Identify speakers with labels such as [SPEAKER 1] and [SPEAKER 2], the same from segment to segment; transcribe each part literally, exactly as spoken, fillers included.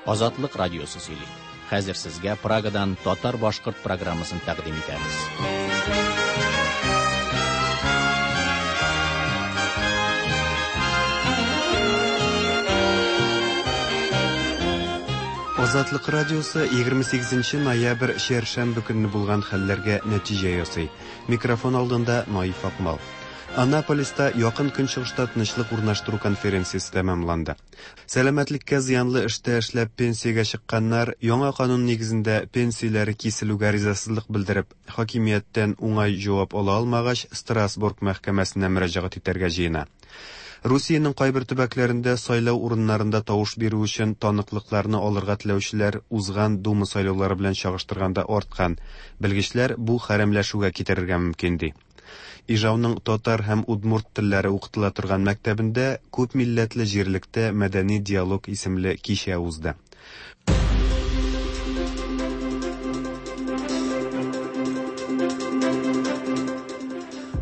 [SPEAKER 1] Азатлык радиосы сөйли. Хәзер сезгә Прагадан татар-башкорт программасын тәкъдим итәбез.
[SPEAKER 2] Азатлык радиосы егерме сигезенче ноябрь чәршәмбе көнне булган хәлләргә нәтиҗә ясый. Микрофон алдында Наиф Акмал. Анаполиста якын көнчыгышта тынычлык урнаштыру конференциясе тәмамланды. Сәламәтлеккә зыянлы эштә эшләп пенсиягә чыкканнар яңа канун нигезендә пенсияләре киселүгә ризасызлык белдереп, хакимияттән уңай җавап ала алмагач, Страсбург мәхкәмәсенә мөрәҗәгать итәргә җыена. Русиянең кайбер төбәкләрендә сайлау урыннарында тавыш бирү өчен таныклыкларны алырга теләүчеләр узган Дума сайлаулары белән чагыштырганда арткан. Белгечләр бу хәрәмләшүгә китерергә мөмкин ди. Ижауның татар һәм удмурт телләре укытыла торган мәктәбендә күп милләтле җирлектә мәдәни диалог исемле кичә узды.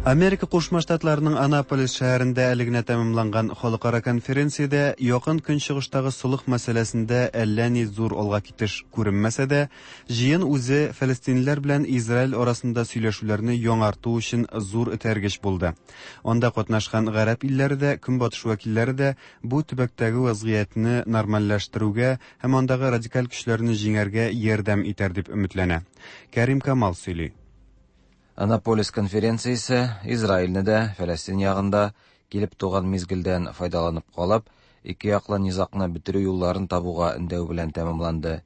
[SPEAKER 2] Америка Кушма Штатларының Анаполис шәһәрендә әле генә тәмамланган халыкара конференциядә якын көнчыгыштагы солых мәсьәләсендә әллә ни зур алга китеш күренмәсә дә, җыен үзе фәлестинлеләр белән Израиль арасында сөйләшүләрне яңарту өчен зур этәргеч булды. Анда катнашкан гарәп илләре дә, көнбатыш вәкилләре дә бу төбәктәге вазгыятьне нормальләштерүгә һәм андагы радикаль көчләрне җиңәргә ярдәм итәр дип өметләнә. Кәрим Камал сөйли.
[SPEAKER 3] Анаполис конференциясе Израильне дә Фәләстин ягында килеп туган мизгелдән файдаланып калып, ике яклы низагны бетерү юлларын табуга өндәү белән тәмамланды.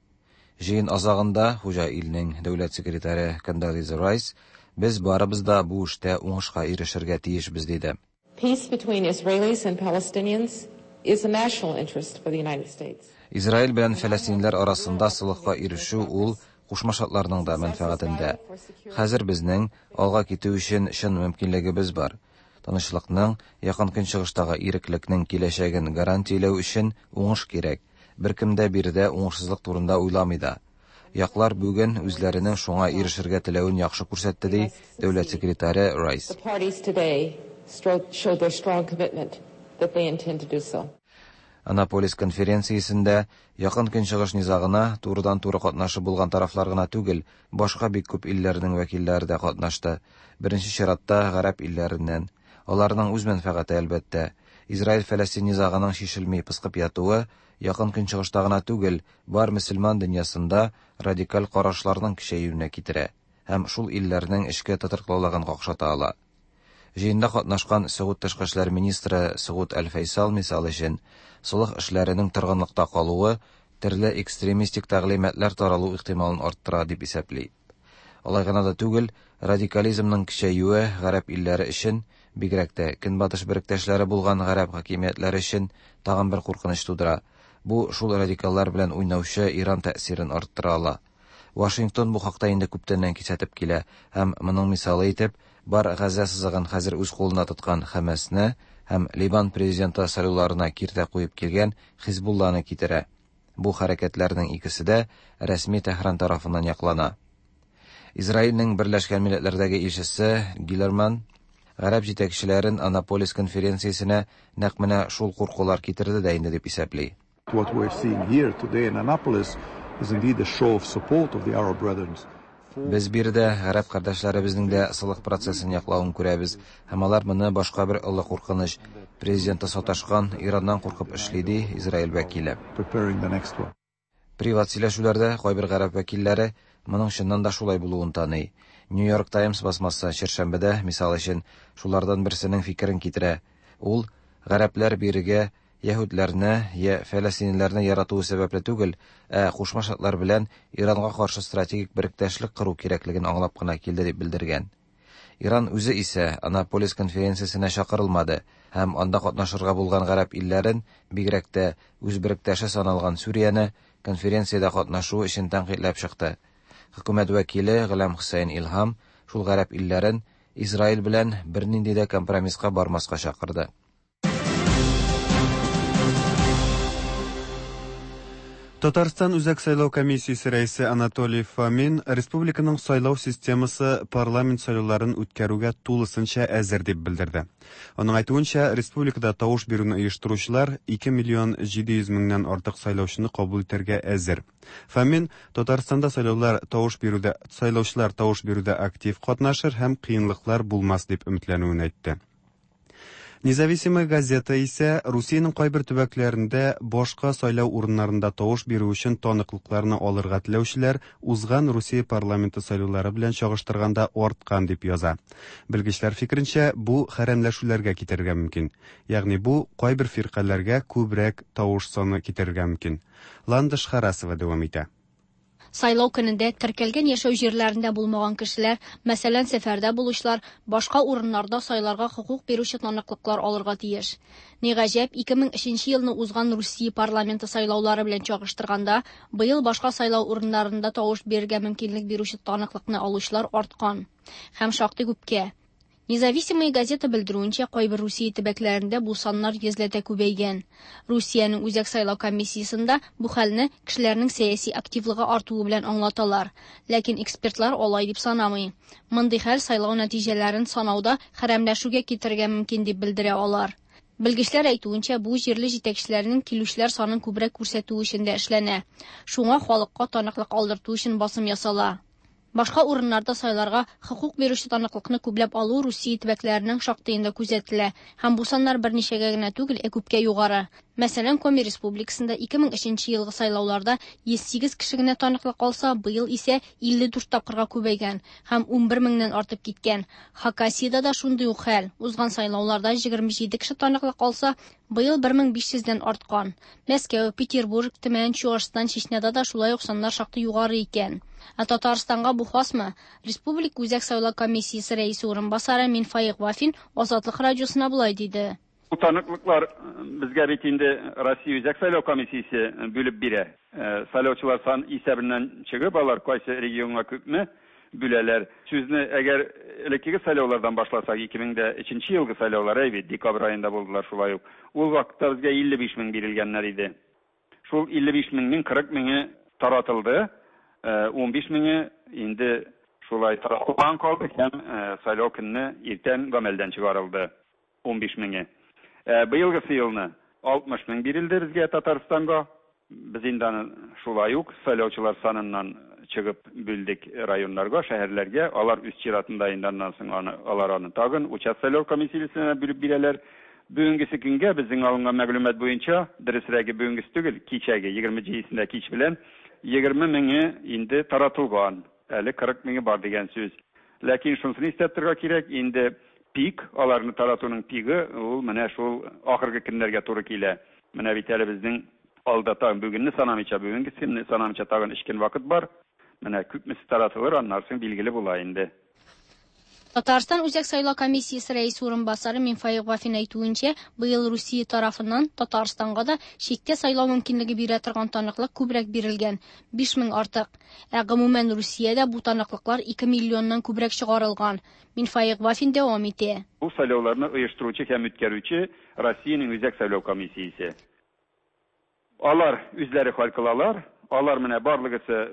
[SPEAKER 3] Җыен азагында хуҗа илнең дәүләт секретаре Кондолиза Райс без барыбыз да бу эштә уңышка ирешергә тиешбез диде.
[SPEAKER 4] Peace between Israelis and Palestinians is a national interest for the United States.
[SPEAKER 3] Израиль белән фәләстинләр арасында солыхка ирешү ул Кушма Штатларның да мәнфәгатендә. Хәзер безнең алга китү өчен чын мөмкинлегебез бар. Тынычлыкның, якын көнчыгыштагы иреклекнең киләчәген гарантияләү өчен уңыш кирәк. Беркем дә биредә уңышсызлык турында уйламый да. Яклар бүген үзләренең шуңа ирешергә теләвен яхшы күрсәтте, ди дәүләт секретаре Райс.
[SPEAKER 4] The parties today showed their strong commitment that they intend to do so.
[SPEAKER 3] Анаполис конференциясендә якын көнчыгыш низагына турыдан-туры катнашы булган тарафлар гына түгел, башка бик күп илләрнең вәкилләре дә катнашты. Беренче чиратта гарәп илләреннән. Аларның үз мәнфәгате әлбәттә. Израиль-Фәләстин низагының чишелми пыскып ятуы якын көнчыгышта гына түгел, бар мөселман дөньясында радикаль карашларның көчәюенә китерә һәм шул илләрнең эчке тотрыклылыгын какшата ала. Җыенда катнашкан Согуд тышкы эшләр министры Согуд Әл-Фәйсал мисал өчен солых эшләренең торгынлыкта калуы төрле экстремистик тәгълиматлар таралу ихтималын арттыра дип исәпли. Алай гына да түгел, радикализмның көчәюе гарәп илләре өчен, бигрәк тә көнбатыш беректәшләре булган гарәп хакимиятләре өчен тагын бер куркыныч тудыра. Бу шул радикаллар белән уйнаучы Иран тәэсирен арттыра ала. Вашингтон бу хакта инде күптәннән кисәтеп килә һәм моның мисалы итеп бар Газа сызыгын хәзер үз кулына тоткан Хәмәсне һәм Ливан президенты сайлауларына киртә куеп килгән Хизбулланы китерә. Бу хәрәкәтләрнең икесе дә рәсми Тәһран тарафыннан яклана. Израильнең Берләшкән Милләтләрдәге илчесе Гилерман гарәп җитәкчеләрен Анаполис конференциясенә нәкъ менә шул куркулар китерде дә инде дип исәпли.
[SPEAKER 5] What we're seeing here today in Annapolis is indeed a show of support of the Arab brethren.
[SPEAKER 3] Без биредә гарәп кардәшләребезнең дә солых процессын яклавын күрәбез, һәм алар моны башка бер олы куркыныч президенты саташкан Ираннан куркып эшли, ди Израиль вәкиле. Приват сөйләшүләрдә кайбер гарәп вәкилләре моның чыннан да шулай булуын таный. New York Times басмасы чәршәмбедә, мисал өчен, шулардан берсенең фикерен китерә. Ул гарәпләр бирегә яһүдләрне я фәләстинләрне яратуы сәбәпле түгел, ә Кушма Штатлар белән Иранга каршы стратегик беректәшлек кору кирәклеген аңлап кына килде дип белдергән. Иран үзе исә Анаполис конференциясенә чакырылмады һәм анда катнашырга булган гарәп илләрен, бигрәк тә үз беректәше саналган Сүрияне конференциядә катнашу өчен тәнкыйтьләп чыкты. Хөкүмәт вәкиле Гөләм Хөсәйн Илһам шул гарәп илләрен Израиль белән бернинди дә компромисска бармаска чакырды.
[SPEAKER 2] Татарстан Үзәк сайлау комиссиясе рәисе Анатолий Фомин республиканың сайлау системасы парламент сайлауларын үткәрүгә тулысынча әзер дип белдерде. Аның әйтүенчә, республикада тавыш бирүне оештыручылар ике миллион җиде йөз меңнән артык сайлаучыны кабул итәргә әзер. Фомин Татарстанда сайлаулар тавыш бирүдә сайлаучылар тавыш бирүдә актив катнашыр һәм кыенлыклар булмас дип өметләнүен әйтте. Независимая газета исә Русиянең кайбер төбәкләрендә башка сайлау урыннарында тавыш бирү өчен таныклыкларны алырга теләүчеләр узган Русия парламенты сайлаулары белән чагыштырганда арткан дип яза. Белгечләр фикеренчә, бу хәрәмләшүләргә китерергә мөмкин. Ягъни бу кайбер фиркаләргә күбрәк тавыш саны китерергә мөмкин. Ландыш Харасова дәвам итә.
[SPEAKER 6] Сайлау көнендә теркәлгән яшәү җирләрендә булмаган кешеләр, мәсәлән, сәфәрдә булучылар, башка урыннарда сайларга хокук бирүче таныклыклар алырга тиеш. Ни гаҗәп, ике мең өченче елны узган Русия парламенты сайлаулары белән чагыштырганда, быел башка сайлау урыннарында тавыш бирергә мөмкинлек бирүче таныклыкны алучылар арткан һәм шактый күпкә. Независимая газета белдерүенчә, кайбер Русия төбәкләрендә бу саннар йөзләтә күбәйгән. Русиянең Үзәк сайлау комиссиясендә бу хәлне кешеләрнең сәяси активлыгы артуы белән аңлаталар. Ләкин экспертлар алай дип санамый. Мондый хәл сайлау нәтиҗәләрен санауда хәрәмләшүгә китерергә мөмкин дип белдерә алар. Белгечләр әйтүенчә, бу җирле җитәкчеләрнең килүчеләр санын күбрәк күрсәтү өчен дә эшләнә. Шуңа халыкка таныклык алдырту өчен басым ясала. Башка урыннарда сайларга хокук бирүче таныклыкны күпләп алу Русия төбәкләренең шактыенда күзәтелә һәм бу саннар берничәгә генә түгел, ә күпкә югары. Мәсәлән, Коми Республикасында ике мең өченче елгы сайлауларда йөз сигез кеше генә таныклык алса, быел исә илле дүрт тапкырга күбәйгән һәм унбер меңнән артып киткән. Хакасиядә дә шундый ук хәл. Узган сайлауларда егерме җиде кеше таныклык алса, быел бер мең биш йөздән арткан. Мәскәү, Петербург, Төмән, Чуашстан, Чечняда да шулай ук саннар шактый югары икән. Ә Татарстанга бу хасмы? Республика Үзәк сайлау комиссиясе рәисе урынбасары Минфаик Вафин Азатлык радиосына болай диде.
[SPEAKER 7] Бу таныклыклар безгә бит инде Россия Үзәк сайлау комиссиясе бүлеп бирә. Сайлаучылар сан исәбеннән чыгып, алар кайсы регионга күпме бүләләр. Сүзне әгәр элеккеге сайлаулардан башласак, ике мең дә өченче елгы сайлаулар әй бит, декабрь аенда булдылар шулай ук. Ул вакытта безгә илле биш мең бирелгәннәр иде. Шул илле биш меңнең кырык меңе таратылды. Ун биш меңе инде шулай таратылган калды һәм сайлау көнне иртән гамәлдән чыгарылды. Ун биш меңе. Быелгысы елны алтмыш мең бирелде безгә Татарстанга. Без инде аны шулай ук сайлаучылар саныннан чыгып бүлдек районнарга, шәһәрләргә. Алар үз чиратында инде аннан соң аны, алар аны тагын участок сайлау комиссиясенә бүлеп бирәләр. Бүгенгесе көнгә безнең алынган мәгълүмат буенча, дөресрәге бүгенгесе түгел, кичәге егерме җидесендә кич белән егерме меңе инде таратылган. Әле кырык меңе бар дигән сүз. Ләкин шунысын истә торырга кирәк, инде пик, аларны таратуның пигы ул менә шул ахыргы көннәргә туры килә. Менә бит әле безнең алда тагын бүгенне санамыйча, бүгенгесен санамыйча тагын өч көн вакыт бар. Менә күпмесе таратылыр, аннан соң билгеле була инде.
[SPEAKER 6] Татарстан Үзәк сайлау комиссиясе рәисе урынбасары Минфаик Вафин әйтүенчә, быел Русия тарафыннан Татарстанга да читтә сайлау мөмкинлеге бирә торган таныклык күбрәк бирелгән, биш мең артык. Ә гомумән Русиядә бу таныклыклар ике миллионнан күбрәк чыгарылган. Минфаик Вафин дәвам итә.
[SPEAKER 7] Бу сайлауларны оештыручы һәм үткәрүче Россиянең Үзәк сайлау комиссиясе. Алар үзләре хәл кылалар. Алар менә барлыгысы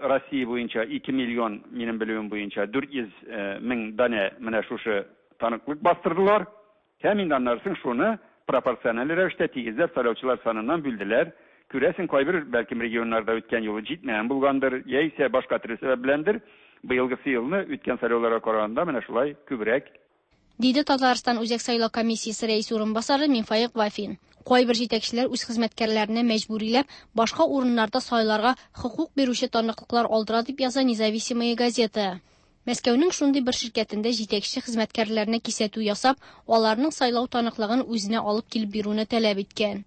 [SPEAKER 7] Россия буенча ике миллион, минем белүем буенча дүрт йөз мең данә менә шушы таныклык бастырдылар. Һәм инде аннан соң шуны пропорциональ рәвештә тигезләп сайлаучылар саныннан бүлделәр. Күрәсең, кайбер бәлкем регионнарда үткән юлы җитмәгән булгандыр, яисә башка төрле сәбәп беләндер. Быелгысы елны үткән сайлауларга караганда менә шулай күбрәк.
[SPEAKER 6] Диде Татарстан Үзәк сайлау комиссиясе рәисе урынбасары Минфаик Вафин. Кайбер җитәкчеләр үз хезмәткәрләренә мәҗбүриләп башка урыннарда сайларга хокук бирүче таныклыклар алдыра дип яза Независимая газета. Мәскәүнең шундый бер ширкәтендә җитәкче хезмәткәрләренә кисәтү ясап, аларның сайлау таныклыгын үзенә алып килеп бирүне таләп иткән.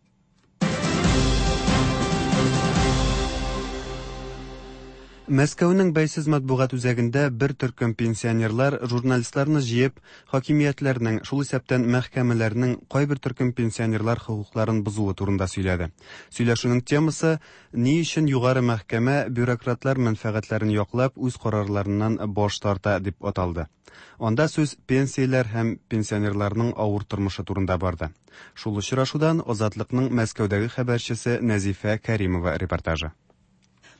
[SPEAKER 2] Мәскәүнең бәйсез матбугат үзәгендә бер төркем пенсионерлар журналистларны җыеп, хакимиятләрнең, шул исәптән мәхкәмәләрнең кайбер төркем пенсионерлар хокукларын бозуы турында сөйләде. Сөйләшүнең темасы ни өчен югары мәхкәмә бюрократлар мәнфәгатьләрен яклап үз карарларыннан баш тарта дип аталды. Анда сүз пенсияләр һәм пенсионерларның авыр тормышы турында барды. Шул очрашудан Азатлыкның Мәскәүдәге хәбәрчесе Нәзифә Кәримова репортажы.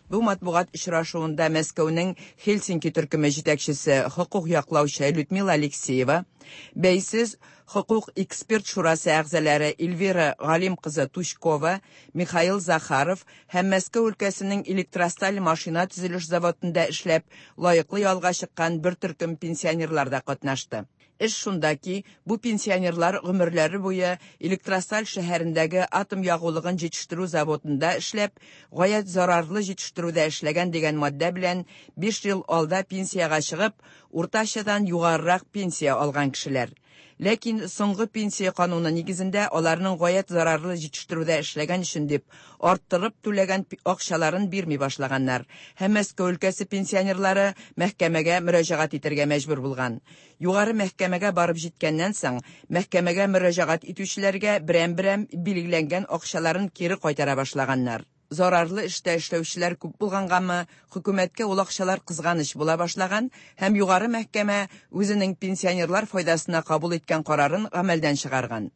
[SPEAKER 8] Бу матбугат очрашуында Мәскәүнең Хельсинки төркеме җитәкчесе хокук яклаучы Людмила Алексеева, бәйсез хокук эксперт шурасы әгъзалары Эльвира Галим кызы Тучкова, Михаил Захаров һәм Мәскәү өлкәсенең Электросталь машина төзелеш заводында эшләп, лаеклы ялга чыккан бер төркем пенсионерлар да катнашты. Эш шунда ки, бу пенсионерлар гомерләре буе Электросталь шәһәрендәге атом ягулыгын җитештерү заводында эшләп, гаять зарарлы җитештерүдә эшләгән дигән маддә белән биш ел алда пенсиягә чыгып, уртачадан югарырак пенсия алган кешеләр. Ләкин соңгы пенсия кануны нигезендә аларның гаять зарарлы җитештерүдә эшләгән өчен дип арттырып түләгән акчаларын бирми башлаганнар. Һәм Мәскәү өлкәсе пенсионерлары мәхкәмәгә мөрәҗәгать итәргә мәҗбүр булган. Югары мәхкәмәгә барып җиткәннән соң, мәхкәмәгә мөрәҗәгать итүчеләргә берәм-берәм билгеләнгән акчаларын кире кайтара башлаганнар. Зарарлы эштә эшләүчеләр күп булгангамы, хөкүмәткә ул акчалар кызганыч була башлаган һәм югары мәхкәмә үзенең пенсионерлар файдасына кабул иткән карарын гамәлдән чыгарган.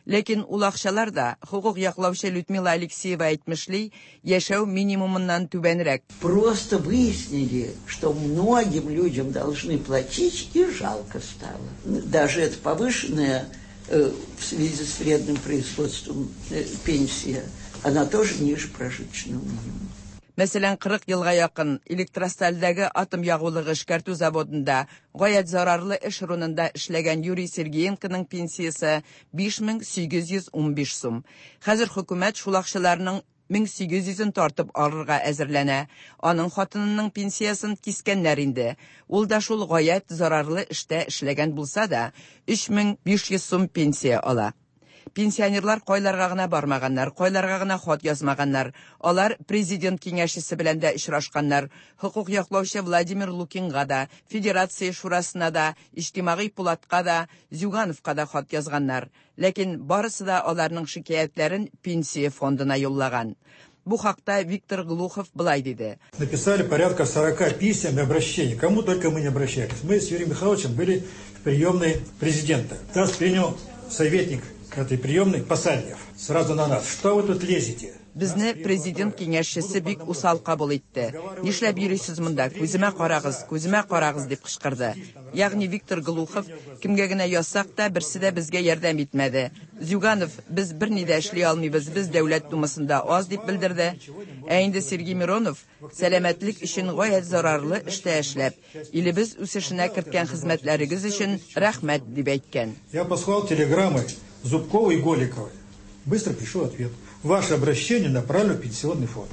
[SPEAKER 8] Ләкин ул акчалар да, хокук яклаучы Людмила Алексеева әйтмешли, яшәү минимумыннан түбәнрәк.
[SPEAKER 9] Просто выяснили, что многим людям должны платить, и жалко стало. Даже это повышенная в связи с вредным производством пенсия, она тоже ниже прожиточного минимума.
[SPEAKER 8] Мәсәлән, кырык елга якын Электростальдәге атом ягулыгы эшкәртү заводында гаять зарарлы эш урынында эшләгән Юрий Сергеенконың пенсиясе биш мең сигез йөз унбиш сум. Хәзер хөкүмәт шул акчаларның мең сигез йөзен тартып алырга әзерләнә. Аның хатынының пенсиясын кискәннәр инде. Ул да шул гаять зарарлы эштә эшләгән булса да, өч мең биш йөз сум пенсия ала. Пенсионерлар кайларга гына бармаганнар, кайларга гына хат язмаганнар. Алар президент киңәшчесе белән дә очрашканнар. Хокук яклаучы Владимир Лукинга да, Федерация шурасына да, Иҗтимагый пулатка да, Зюгановка да хат язганнар. Ләкин барысы да аларның шикаятьләрен пенсия фондына юллаган. Бу хакта Виктор Глухов былай диде.
[SPEAKER 10] Написали порядка сорока писем и обращений. Кому только мы не обращались. Мы с Юрием Михайловичем были в приемной президента. Нас принял советник этой приемной Посадьев. Сразу на нас. Что вы тут лезете?
[SPEAKER 8] Безне президент киңәшчесе бик усал кабул итте. Нишләп йөрисез монда? Күземә карагыз, күземә карагыз дип кычкырды. Ягъни Виктор Глухов кемгә генә язсак та, берсе дә безгә ярдәм итмәде. Зюганов, без берни дә эшли алмыйбыз, без дәүләт думасында аз дип белдерде. Ә инде Сергей Миронов сәламәтлек өчен гаять зарарлы эштә эшләп, илебез үсешенә керткән хезмәтләрегез өчен рәхмәт дип әйткән.
[SPEAKER 10] Я послал телеграммы Зубковой и Голиковой. Быстро пришел ответ. Ваше обращение направлено в пенсионный фонд.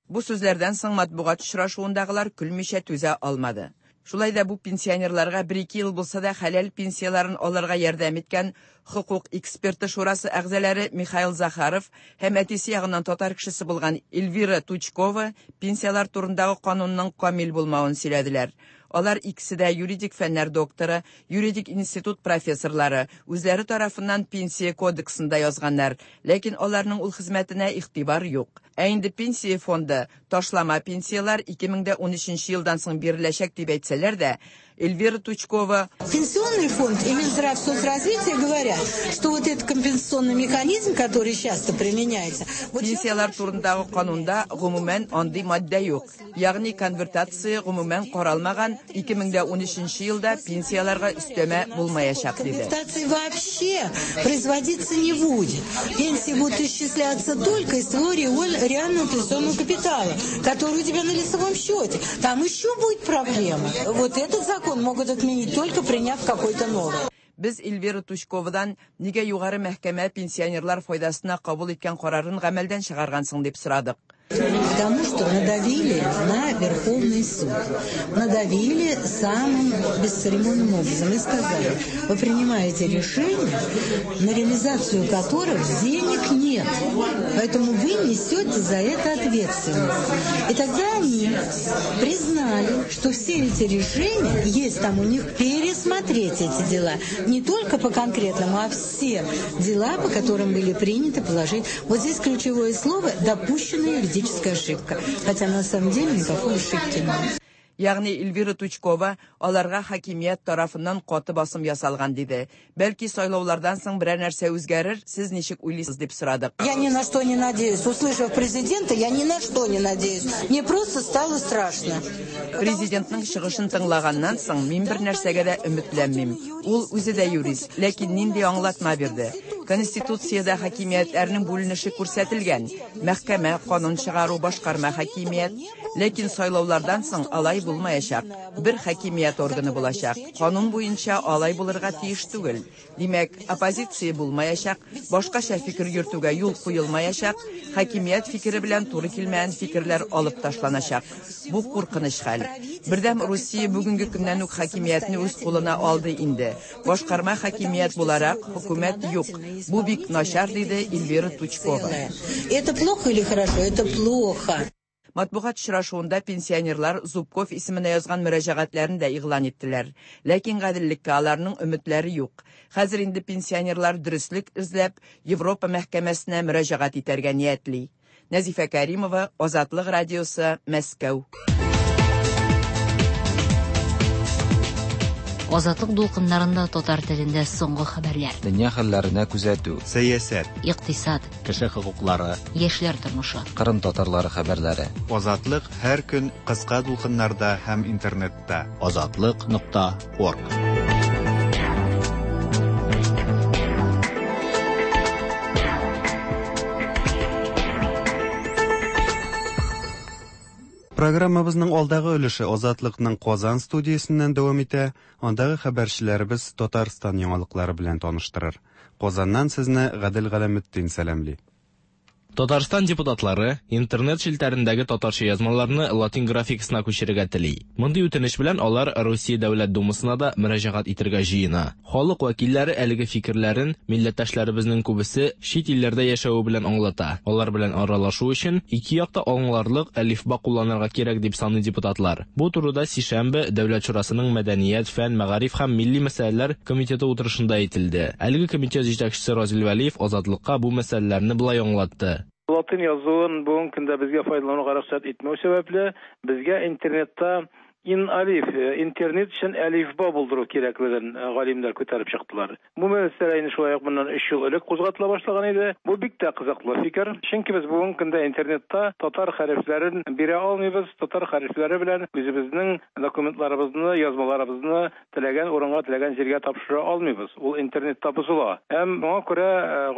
[SPEAKER 8] Бу сүзләрдән соң матбугат очрашуындагылар көлмичә түзә алмады. Шулай да бу пенсионерларга бер-ике ел булса да хәләл пенсияларын алырга ярдәм иткән хокук эксперты шурасы әгъзалары Михаил Захаров һәм әтисе ягыннан татар кешесе булган Эльвира Тучкова пенсиялар турындагы канунның камил булмавын сөйләделәр. Алар икесе дә юридик фәннәр докторы, юридик институт профессорлары, үзләре тарафыннан пенсия кодексында язганнар, ләкин аларның ул хезмәтенә игътибар юк. Ә инде пенсия фонды ташлама пенсиялар ике мең дә унөченче елдан соң биреләчәк дип әйтсәләр дә, Эльвира Тучкова:
[SPEAKER 11] Пенсионный фонд и Минздрав соцразвития говорят, что вот этот компенсационный механизм, который часто применяется,
[SPEAKER 8] вот пенсиялар турындагы канунда гомумән андый маддә юк. Ягъни конвертация гомумән каралмаган, ике мең дә унөченче елда пенсияларга өстәмә булмаячак диде.
[SPEAKER 11] Конвертация вообще производиться не будет. Пенсии будут исчисляться только из твоего реального пенсионного капитала, который у тебя на лицевом счете. Там еще будет проблема. Вот этот закон могут отменить, только приняв какой-то новый.
[SPEAKER 8] Без Эльвира Тучковадан нигә югары мәхкәмә пенсионерлар файдасына кабул иткән карарын гамәлдән чыгаргансың дип сорадык.
[SPEAKER 11] Потому что надавили на Верховный суд. Надавили самым бесцеремонным образом и сказали, вы принимаете решения, на реализацию которых денег нет. Поэтому вы несете за это ответственность. И тогда они признали, что все эти решения, есть там у них пересмотреть эти дела. Не только по конкретному, а все дела, по которым были приняты положения. Вот здесь ключевое слово «допущенные юридические ошибка, хотя на самом деле никакой ошибки нет.
[SPEAKER 8] Ягъни Эльвира Тучкова аларга хакимият тарафыннан каты басым ясалган диде. Бәлки сайлаулардан соң берәр нәрсә үзгәрер, сез ничек уйлыйсыз дип сорадык.
[SPEAKER 11] Я ни на что не надеюсь. Услышав президента, я ни на что не надеюсь. Мне просто стало страшно.
[SPEAKER 8] Президентның чыгышын тыңлаганнан соң мин бер нәрсәгә дә өметләнмим. Ул үзе дә юрист, ләкин нинди аңлатма бирде. Конституциядә хакимиятләрнең бүленеше күрсәтелгән. Мәхкәмә, канун чыгару, башкарма хакимият. Ләкин сайлаулардан соң алай булмаячак. Бер хакимият органы булачак. Канун буенча алай булырга тиеш түгел. Димәк, оппозиция булмаячак, башкача фикер йөртүгә юл куелмаячак, хакимият фикере белән туры килмәгән фикерләр алып ташланачак. Бу куркыныч хәл. Бердәм Русия бүгенге көннән үк хакимиятне үз кулына алды инде. Башкарма хакимият буларак хөкүмәт юк. Бу бик начар, диде Эльвира Тучкова.
[SPEAKER 11] Это плохо или хорошо? Это плохо.
[SPEAKER 8] Матбугат очрашуында пенсионерлар Зубков исеменә язган мөрәҗәгатьләрен дә игълан иттеләр. Ләкин гаделлеккә аларның өметләре юк. Хәзер инде пенсионерлар дөреслек эзләп Европа мәхкәмәсенә мөрәҗәгать итәргә ниятли. Нәзифә Кәримова, Азатлык радиосы, Мәскәү.
[SPEAKER 12] Азатлык дулкыннарында татар телендә соңгы хәбәрләр.
[SPEAKER 3] Дөнья хәлләренә күзәтү,
[SPEAKER 2] сәясәт,
[SPEAKER 12] икътисад,
[SPEAKER 1] кеше хокуклары,
[SPEAKER 12] яшьләр тормышы,
[SPEAKER 3] Кырым татарлары хәбәрләре.
[SPEAKER 2] Азатлык һәр көн кыска дулкыннарда һәм интернетта.
[SPEAKER 1] Азатлык нокта орг.
[SPEAKER 2] Программабызның алдагы өлеше Азатлыкның Казан студиясеннән дәвам итә. Андагы хәбәрчеләребез Татарстан яңалыклары белән таныштырыр. Казаннан сезне Гадел Галәметдин сәламли.
[SPEAKER 13] Татарстан депутатлары интернет челтәрендәге татарча язмаларны латин графикасына күчерергә тели. Мондый үтенеч белән алар Русия Дәүләт Думасына да мөрәҗәгать итәргә җыена. Халык вәкилләре әлеге фикерләрен милләттәшләребезнең күбесе чит илләрдә яшәве белән аңлата. Алар белән аралашу өчен ике якта аңларлык әлифба кулланырга кирәк дип саный депутатлар. Бу турыда сишәмбе Дәүләт Шурасының Мәдәният, фән, мәгариф һәм милли мәсьәләләр комитеты утырышында әйтелде. Әлеге комитет җитәкчесе Разил Вәлиев Азатлыкка бу мәсьәләләрне болай аңлатты.
[SPEAKER 14] Латин язуын бүгенге көндә безгә файдалануга рөхсәт итмәү сәбәпле, безгә интернетта ин алиф, интернет өчен әлифба булдыру кирәклеген галимнәр күтәреп чыктылар. Бу мәсьәлә инде шулай ук моннан өч ел элек кузгатыла башлаган иде. Бу бик тә кызыклы фикер. Чөнки без бүгенге көндә интернетта татар хәрефләрен бирә алмыйбыз. Татар хәрефләре белән үзебезнең документларыбызны, язмаларыбызны теләгән урынга, теләгән җиргә тапшыра алмыйбыз. Ул интернетта бозыла. Һәм моңа күрә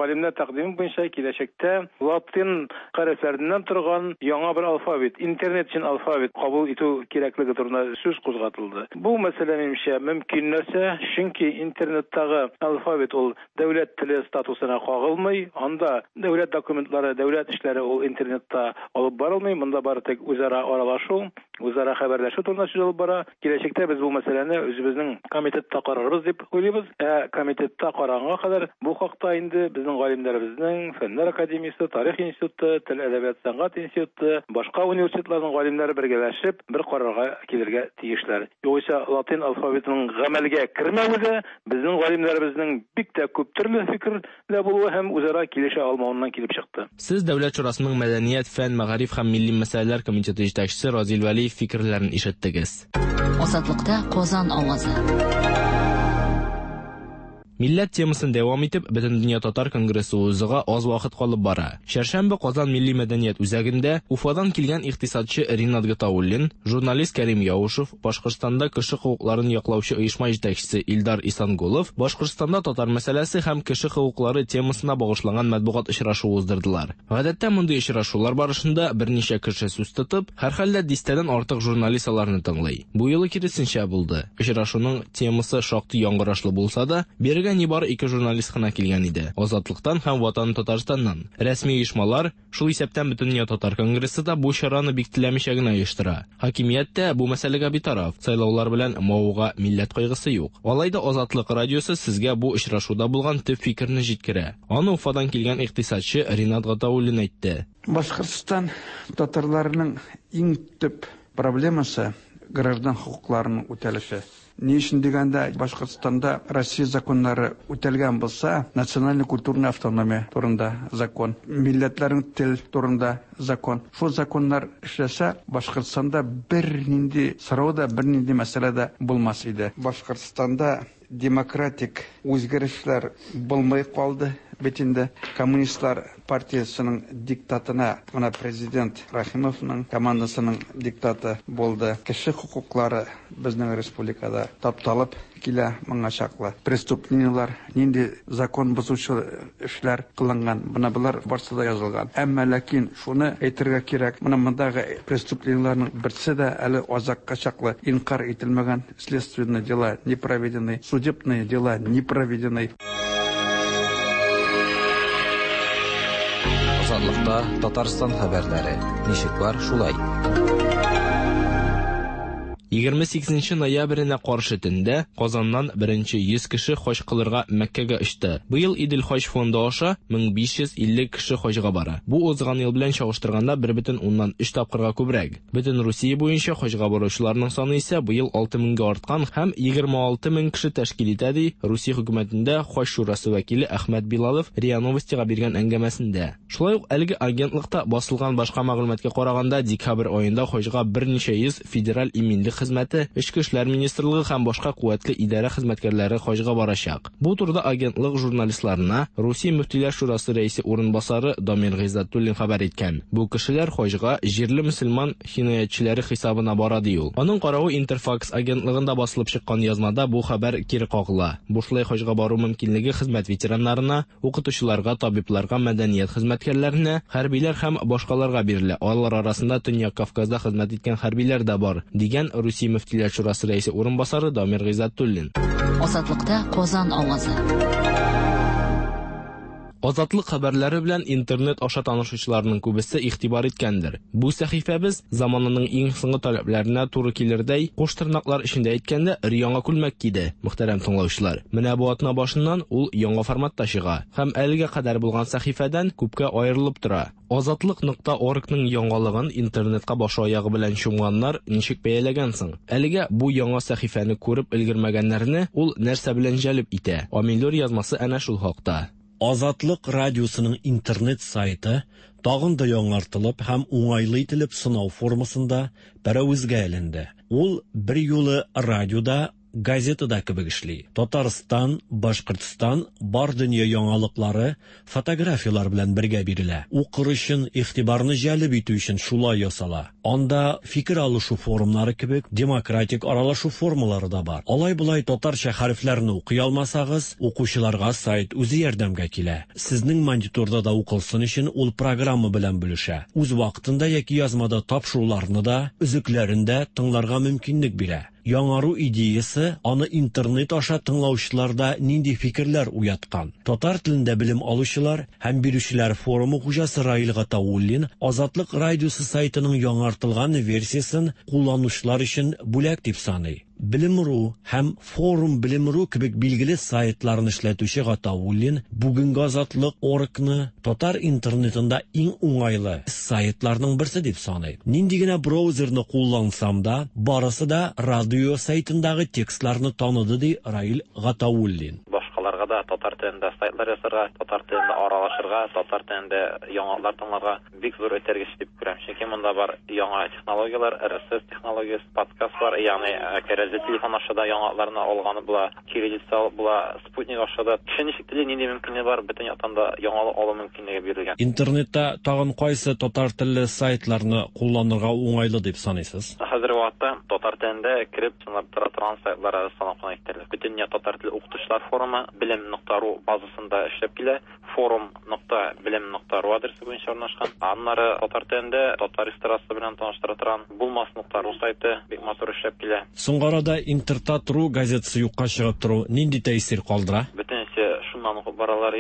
[SPEAKER 14] галимнәр тәкъдиме буенча киләчәктә латин хәрефләреннән торган яңа бер алфавит, интернет өчен алфавит кабул итү кирәклеге турында сүз кузгатылды. Бу мәсьәлә минемчә мөмкин нәрсә, чөнки интернеттагы алфавит ул дәүләт теле статусына кагылмый, анда дәүләт документлары, дәүләт эшләре ул интернетта алып барылмый, монда бары тик үзара аралашу, үзара хәбәрләшү турында сүз алып бара. Киләчәктә без бу мәсьәләне үзебезнең комитетта карарбыз дип уйлыйбыз. Ә комитетта караганга кадәр бу хакта инде безнең галимнәребезнең Фәннәр академиясе, Тарих институты, Тел, әдәбият, сәнгать институты, башка университетларның галимнәре бергәләшеп бер карарга килергә тиешләр. Югыйсә латин алфавитының гамәлгә кермәве дә безнең галимнәребезнең бик тә күп төрле фикерлә булуы һәм үзара килешә алмавыннан килеп чыкты.
[SPEAKER 13] Сез Дәүләт Шурасының Мәдәният, фән, мәгариф һәм милли мәсьәләләр комитеты җитәкчесе Разил Вәлиев фикерләрен ишеттегез.
[SPEAKER 12] Азатлыкта Казан авазы.
[SPEAKER 13] Милләт темасын дәвам итеп, Бөтендөнья татар конгрессы узуга аз вакыт калып бара. Чәршәмбе Казан милли мәдәният үзәгендә Уфадан килгән икътисадчы Ринат Гатауллин, журналист Кәрим Яушев, Башкортстанда кеше хокукларын яклаучы оешма җитәкчесе Илдар Исангулов Башкортстанда татар мәсьәләсе һәм кеше хокуклары темасына багышланган матбугат очрашуы уздырдылар. Гадәттә мондый очрашулар барышында берничә кеше сүз тотып, һәрхәлдә дистәдән артык журналист аларны тыңлый. Бу юлы киресенчә булды. Очрашуның темасы шактый яңгырашлы булса да, бирегә Бирегә нибары ике журналист кына килгән иде. Азатлыктан һәм Ватан Татарстаннан. Рәсми оешмалар, шул исәптән Бөтендөнья татар конгрессы да бу чараны бик теләмичә генә оештыра. Хакимият тә бу мәсьәләгә битараф. Сайлаулар белән мавыга милләт кайгысы юк. Алай да Азатлык радиосы сезгә бу очрашуда булган төп фикерне җиткерә. Аны Уфадан килгән икътисадчы Ринат Гатауллин әйтте.
[SPEAKER 15] Башкортстан татарларының иң төп проблемасы граждан хокукларының үтәлеше. Ни өчен дигәндә, Башкортстанда Россия законнары үтәлгән булса, национальный культурный автономия турында закон, милләтләрнең тел турында закон. Шул законнар эшләсә, Башкортстанда бернинди сорау да, бернинди мәсьәлә дә булмас иде. Башкортстанда демократик үзгәрешләр булмый калды. Бит инде коммунистлар партиясының диктатына, менә президент Рахимовның командасының диктаты булды. Кеше хокуклары безнең республикада тапталып килә моңа чаклы. Преступлениелар, нинди закон бозучы эшләр кылынган, менә болар барсы да язылган. Әмма ләкин шуны әйтергә кирәк, менә мондагы преступлениеларның берсе дә әле азакка чаклы инкар ителмәгән, следственные дела не проведены, судебные дела не проведены.
[SPEAKER 3] Азатлыкта Татарстан хәбәрләре. Ничек бар, шулай.
[SPEAKER 13] егерме сигезенче ноябренә каршы төндә Казаннан беренче йөз кеше хаҗ кылырга Мәккәгә очты. Быел Идел хаҗ фонды аша мең биш йөз илле кеше хаҗга бара. Бу узган ел белән чагыштырганда бер бөтен уннан өч тапкырга күбрәк. Бөтен Русия буенча хаҗга баручыларның саны исә быел алты меңгә арткан һәм егерме алты мең кеше тәшкил итә, ди Русия хөкүмәтендә хаҗ шурасы вәкиле Әхмәт Билалов РИА Новостига биргән әңгәмәсендә. Шулай ук әлеге агентлыкта басылган башка мәгълүматка караганда, декабрь аенда хаҗга берничә йөз федераль иминлек хезмәте, Эчке эшләр министрлыгы һәм башка куәтле идарә хезмәткәрләре хаҗга барачак. Бу турыда агентлык журналистларына Русия Мөфтиләр шурасы рәисе урынбасары Дамир Гыйззатуллин хәбәр иткән. Бу кешеләр хаҗга җирле мөселман хинаятчылары хисабына бара, ди ул. Аның каравы Интерфакс агентлыгында басылып чыккан язмада бу хәбәр кире кагыла. Бушлай хаҗга бару мөмкинлеге хезмәт ветераннарына, укытучыларга, табибларга, мәдәният хезмәткәрләренә, хәрбиләр һәм башкаларга бирелә. Алар арасында Төньяк Кавказда хезмәт иткән хәрбиләр дә бар, дигән Русия Мөфтиләр шурасы рәисе урынбасары Дамир Гыйззатуллин.
[SPEAKER 12] Азатлыкта Казан авазы.
[SPEAKER 13] Азатлык хәбәрләре белән интернет аша танышучыларның күбесе игътибар иткәндер. Бу сәхифәбез заманының иң соңгы таләпләренә туры килердәй, куш тырнаклар эчендә әйткәндә, өр-яңа күлмәк киде, мөхтәрәм тыңлаучылар. Менә бу атна башыннан ул яңа форматта чыга һәм әлегә кадәр булган сәхифәдән күпкә аерылып тора. Азатлык нокта оргның яңалыгын интернетка башы аягы белән чумганнар ничек бәяләгән соң? Әлегә бу яңа сәхифәне күреп өлгермәгәннәрне ул нәрсә белән җәлеп итә? Амилюр язмасы әнә шул хакта.
[SPEAKER 16] Азатлык радиосының интернет сайты тагын да яңартылып һәм уңайлы ителеп сынау формасында пәрәвезгә эленде. Ул бер юлы радиода, газетада кебек эшли. Татарстан, Башкортстан, бар дөнья яңалыклары фотографиялар белән бергә бирелә. Укыр өчен, игътибарны җәлеп итү өчен шулай ясала. Анда фикер алышу форумнары кебек демократик аралашу формалары да бар. Алай-болай татарча хәрефләрне укый алмасагыз, укучыларга сайт үзе ярдәмгә килә. Сезнең мониторда да укылсын өчен ул программа белән бүлешә. Үз вакытында яки язмада тапшыруларны да, өзекләрен дә тыңларга мөмкинлек бирә. Яңару идеясы аны интернет аша тыңлаучыларда нинди фикерләр уяткан. Татар телендә белем алучылар һәм бирүчеләр форумы хуҗасы Раил Гатауллин Азатлык радиосы сайтының яңартылган версиясын кулланучылар өчен бүләк дип саный. Белем.ру һәм Форум Белем.ру кебек билгеле сайтларны эшләтүче Гатауллин бүгенге Азатлык оргны татар интернетында иң уңайлы сайтларның берсе дип саный. Нинди генә браузерны куллансам да, барысы да радио сайтындагы текстларны таныды, ди Раил Гатауллин.
[SPEAKER 17] Башкаларга да татар телендә сайтлар ясарга, татар телендә аралашырга, татар телендә яңалыклар тыңларга бик зур этәргеч дип күрәм. Чөнки монда бар яңа технологияләр, эр эс эс технологиясе, подкастлар, ягъни кәрәзле телефон аша да яңалыкларны алганы була, кириллица алып була, спутник аша да. Кеше ничек тели, нинди мөмкинлеге бар, бөтен яктан да яңалык алу мөмкинлеге бирелгән.
[SPEAKER 16] Интернетта тагын кайсы татар телле сайтларны кулланырга уңайлы дип саныйсыз?
[SPEAKER 17] Хәзерге вакытта татар телендә кереп сынап тора торган сайтлар санап кына китәрлек. Бөтен татар теле укытучылар форумы белем нокта ру базасында эшләп килә. Форум нокта белем нокта ру адресы буенча урнашкан. Аннары татар телендә татар эстрадасы белән таныштыра торган булмас нокта ру сайты бик матур эшләп килә.
[SPEAKER 16] Соңгы арада Интертат.ру газетасы юкка чыгып тору нинди тәэсир калдыра?
[SPEAKER 17] Бөтен Сылтаманы укып баралар.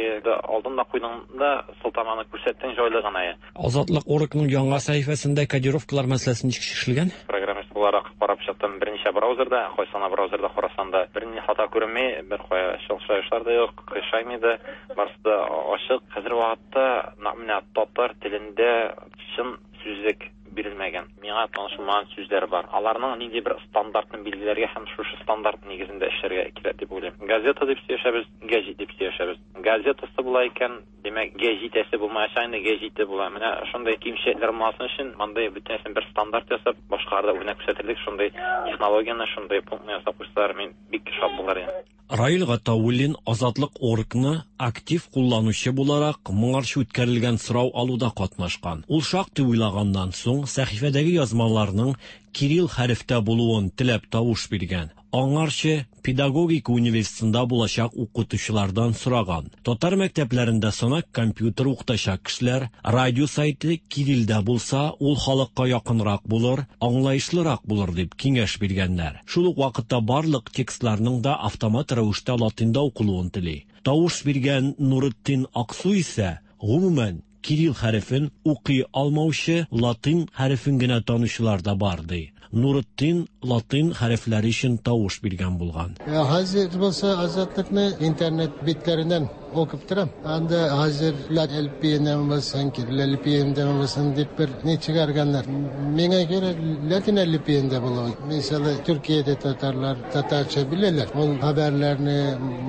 [SPEAKER 17] Алдын да куйдың да сылтаманы күрсәттең, җайлы гына.
[SPEAKER 16] Азатлык оргның яңа сәхифәсендә кодировкалар мәсьәләсе ничек чишелгән?
[SPEAKER 17] Программист буларак карап чыктым берничә браузерда, кайсы браузерда карасам да бернинди хата күренми, бер кая шылшашлар да юк, кыйшаймый да, барысы да ачык. Хәзер вакытта менә татар телендә чын сүзлек бирелмәгән. Миңа танышылмаган сүзләр бар. Аларның нинди бер стандартын билгеләргә һәм шушы стандарт нигезендә эшләргә кирәк дип уйлыйм. Газета дип сөйләшәбез, гәҗит дип сөйләшәбез. Газетасы була икән, димәк, гәҗитәсе булмаячак, инде гәҗите була. Менә шундый кимчелекләр булмасын өчен мондый бөтенесен бер стандарт ясап, башкаларда үрнәк күрсәтерлек шундый технологияне, шундый пунктны ясап куйсалар, мин бик шат булыр идем.
[SPEAKER 16] Раил Гатауллин Азатлык оргны актив кулланучы буларак моңарчы үткәрелгән сорау алуда катнашкан. Ул шактый уйлаганнан соң сәхифәдәге язмаларның кирилл хәрефтә булуын теләп тавыш биргән. Аңарчы педагогика университетында булачак укытучылардан сораган. Татар мәктәпләрендә санак компьютер укытачак кешеләр радио сайты кириллдә булса, ул халыкка якынрак булыр, аңлаешлырак булыр дип киңәш биргәннәр. Шул ук вакытта барлык текстларның да автомат рәвештә латинда укылуын тели. Тавыш биргән Нуретдин Аксу исә гомумән кирилл хәрефен укый алмаучы, латин хәрефен генә танучылар да бар ди. Нуретдин латин хәрефләре өчен тавыш биргән булган.
[SPEAKER 18] Хәзер булса Азатлыкны интернет битләреннән окуп торам. Анда хәзер L P-ннән булсын, кирилл L P-ндән булсын дип бер ни чыгарганнар. Миңа кирәк латин L P-ндә булуы. Мисалы, Төркиядә татарлар татарча беләләр. Ул хәбәрләрне,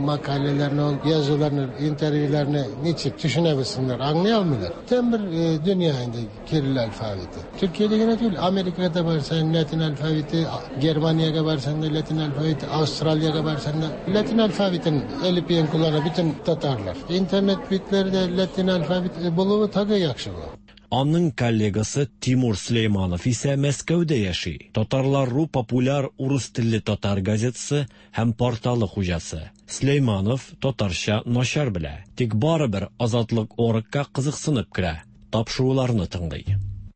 [SPEAKER 18] мәкаләләрне, ул язуларны, интервьюларны ничек төшенә белсеннәр, аңлый алмыйлар. Там бер дөнья инде кирилл алфавиты. Төркиядә генә түгел, Америкада барсаң латин алфавиты, Германиягә барсаң да латин алфавиты, Австралиягә барсаң да латин алфавитын L P-н куллана бөтен татарлар. Интернет битләрдә латин алфавиты булуы тагы яхшы була.
[SPEAKER 16] Аның коллегасы Тимур Сөләйманов исә Мәскәүдә яши. Татарлар.ру популяр урыс телле татар газетасы һәм порталы хуҗасы. Сөләйманов татарча начар белә, тик барыбер Азатлык оргка кызыксынып керә, тапшыруларны тыңлый.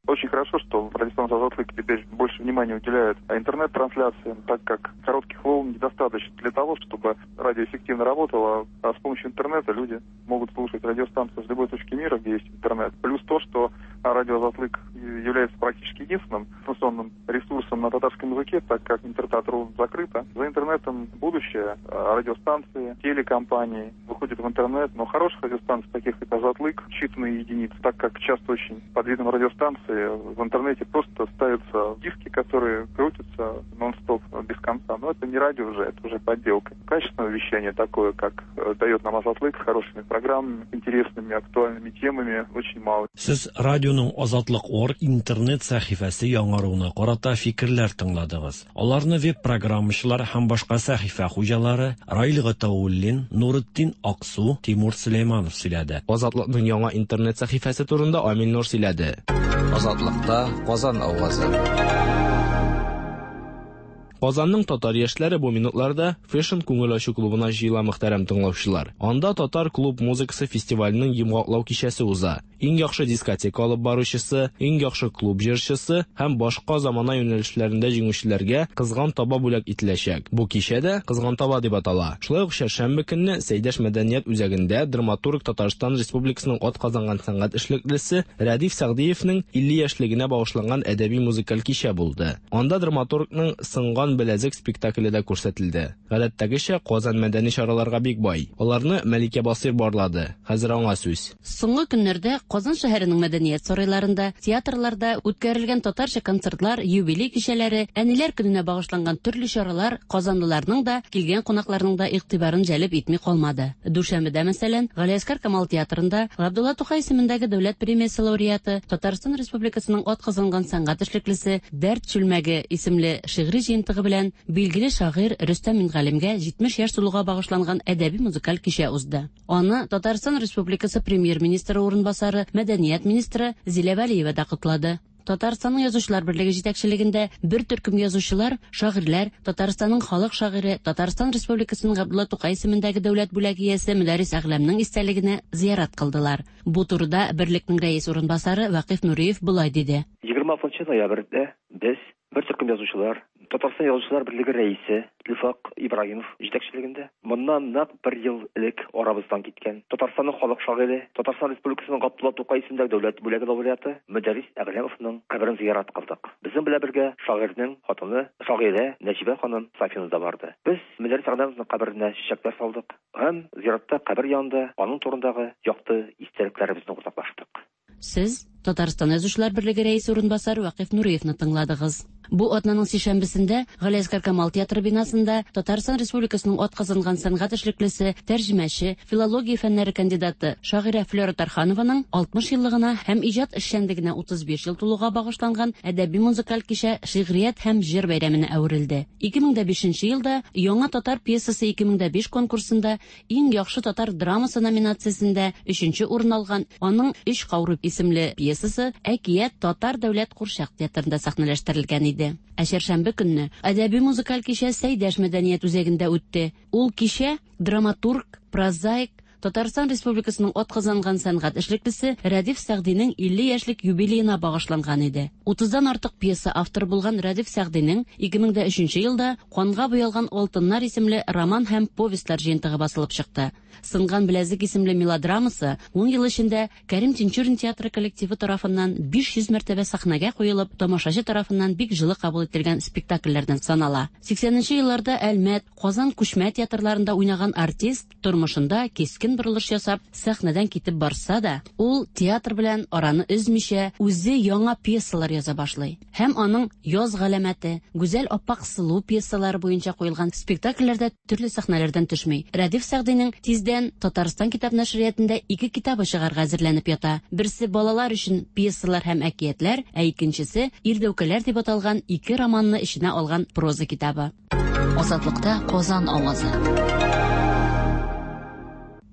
[SPEAKER 19] Очень хорошо, что радиостанция «Азатлык» теперь больше внимания уделяет интернет-трансляциям, так как коротких волн недостаточно для того, чтобы радио эффективно работало. А с помощью интернета люди могут слушать радиостанцию с любой точки мира, где есть интернет. Плюс то, что радио «Азатлык» является практически единственным информационным ресурсом на татарском языке, так как Интертат.ру закрыто. За интернетом будущее. Радиостанции, телекомпании выходят в интернет, но хороших радиостанций, таких как «Азатлык», считанные единицы, так как часто очень под видом радиостанции в интернете просто ставятся диски, которые крутятся нон-стоп без конца. Но это не радио уже, это уже подделка. Качественное вещание такое, как дает нам «Азатлык», с хорошими программами, интересными, актуальными темами, очень мало.
[SPEAKER 16] Сез радионың Азатлык орг интернет сәхифәсе яңаруына карата фикерләр тыңладыгыз. Аларны веб-программачылар һәм башка сәхифә хуҗалары Раил Гатауллин, Нуретдин Аксу, Тимур Сөләйманов сөйләде.
[SPEAKER 13] Азатлыкның яңа интернет сәхифәсе турында Амил Нур сөйләде.
[SPEAKER 3] Азатлыкта Казан авазы.
[SPEAKER 13] Казанның татар яшьләре бу минутларда Fashion күңел ачу клубына җыела, мөхтәрәм тыңлаучылар. Анда татар клуб музыкасы фестиваленең йомгаклау кичәсе уза. Иң яхшы дискотека алып баручысы, иң яхшы клуб җырчысы һәм башка замана юнәлешләрендә җиңүчеләргә кызган таба бүләк ителәчәк. Бу кичә дә Кызган таба дип атала. Шулай ук чәршәмбе көнне Сәйдәш мәдәният үзәгендә драматург, Татарстан Республикасының атказанган сәнгать эшлеклесе Рәдиф Сәгъдиевнең илле яшьлегенә багышланган әдәби музыкаль кичә булды. Анда драматургның Сынган беләзек спектакле дә күрсәтелде. Гадәттәгечә, Казан мәдәни чараларга бик бай. Аларны Мәликә Басыйр барлады. Хәзер аңа сүз.
[SPEAKER 20] Соңгы көннәрдә Казан шәһәренең мәдәният сарайларында, театрларда үткәрелгән татарча концертлар, юбилей кичәләре, әниләр көненә багышланган төрле чаралар казанлыларның да, килгән кунакларның да игътибарын җәлеп итми калмады. Дүшәмбедә, мәсәлән, Галиәсгар Камал театрында Габдулла Тукай исемендәге дәүләт премиясе лауреаты, Татарстан Республикасының атказанган сәнгать эшлеклесе Дәрт чүлмәге исемле шигъри җыентыгы белән билгеле шагыйрь Рөстәм Мингалимгә җитмеш яшь тулуга багышланган әдәби музыкаль кичә узды. Аны Татарстан Республикасы премьер-министры урынбасары, мәдәният министры Зилә Вәлиева да котлады. Татарстанның Язучылар берлеге җитәкчелегендә бер төркем язучылар, шагыйрьләр, Татарстанның халык шагыйре, Татарстан Республикасының Габдулла Тукай исемендәге дәүләт бүләге иясе Мөдәррис Әгъләмнең истәлегенә зиярат кылдылар. Бу турыда берлекнең рәис урынбасары Вакыйф Нуриев болай диде.
[SPEAKER 21] егерме алтынчы ноябрьдә без, бер төркем язучылар, Татарстан Язучылар берлеге рәисе Илфак Ибраһимов җитәкчелегендә моннан нәкъ бер ел элек арабыздан киткән Татарстанның халык шагыйре, Татарстан Республикасының Габдулла Тукай исемендәге дәүләт бүләге лауреаты Мөдәррис Әгъләмовның каберен зиярат кылдык. Безнең белән бергә шагыйрьнең хатыны, шагыйрә Нәҗибә ханым Сафина да барды. Без Мөдәррис Әгъләмовның каберенә чәчәкләр салдык һәм зиратта кабер янында аның турындагы якты истәлекләребезне уртаклаштык.
[SPEAKER 20] Сез Татарстан Язучылар берлеге рәисе урынбасары Вакыйф Нуриевны тыңладыгыз. Бу атнаның сишәмбесендә Галиәсгар Камал театры бинасында Татарстан Республикасының атказанган сәнгать эшлеклесе, тәрҗемәче, филология фәннәре кандидаты шагыйрә Флера Тарханованың алтмыш еллыгына һәм иҗат эшчәнлегенә утыз биш ел тулуга багышланган әдәби музыкаль кичә шигърият һәм җыр бәйрәменә әверелде. ике мең дә бишенче елда Яңа татар пьесасы ике мең дә биш конкурсында иң яхшы татар драмасы номинациясендә өченче урын алган аның Өч каурый исемле пьесасы Әкият татар дәүләт курчак театрында сәхнәләштерелгән иде. Ә чәршәмбе көнне әдәби музыкаль кичә Сәйдәш мәдәният үзәгендә үтте. Ул кичә драматург, прозаик, Татарстан Республикасының атказанган сәнгать эшлеклесе Рәдиф Сәгъдинең илле яшьлек юбилеена багышланган иде. Утыздан артык пьеса авторы булган Рәдиф Сәгъдинең ике мең дә өченче елда Канга буялган алтыннар исемле роман һәм повестьлар җыентыгы басылып чыкты. Сынган беләзек исемле мелодрамасы ун ел эчендә Кәрим Тинчурин театры коллективы тарафыннан биш йөз мәртәбә сәхнәгә куелып, тамашачы тарафыннан бик җылы кабул ителгән спектакльләрдән санала. Сиксәненче елларда Әлмәт, Казан күчмә театрларында уйнаган артист тормышында кискен борылыш ясап, сәхнәдән китеп барса да, ул театр белән араны өзмичә, үзе яңа пьесалар яза башлый. Һәм аның Яз галәмәте, Гүзәл аппак сылу пьесалары буенча куелган спектакльләрдә төрле сәхнәләрдән төшми. Рәдиф Сәгъдинең тиздән Татарстан китап нәшриятында ике китабы чыгарга әзерләнеп ята. Берсе балалар өчен пьесалар һәм әкиятләр, ә икенчесе Ирдәүкәләр дип аталган ике романны эченә алган проза китабы.
[SPEAKER 12] Азатлыкта Казан авазы.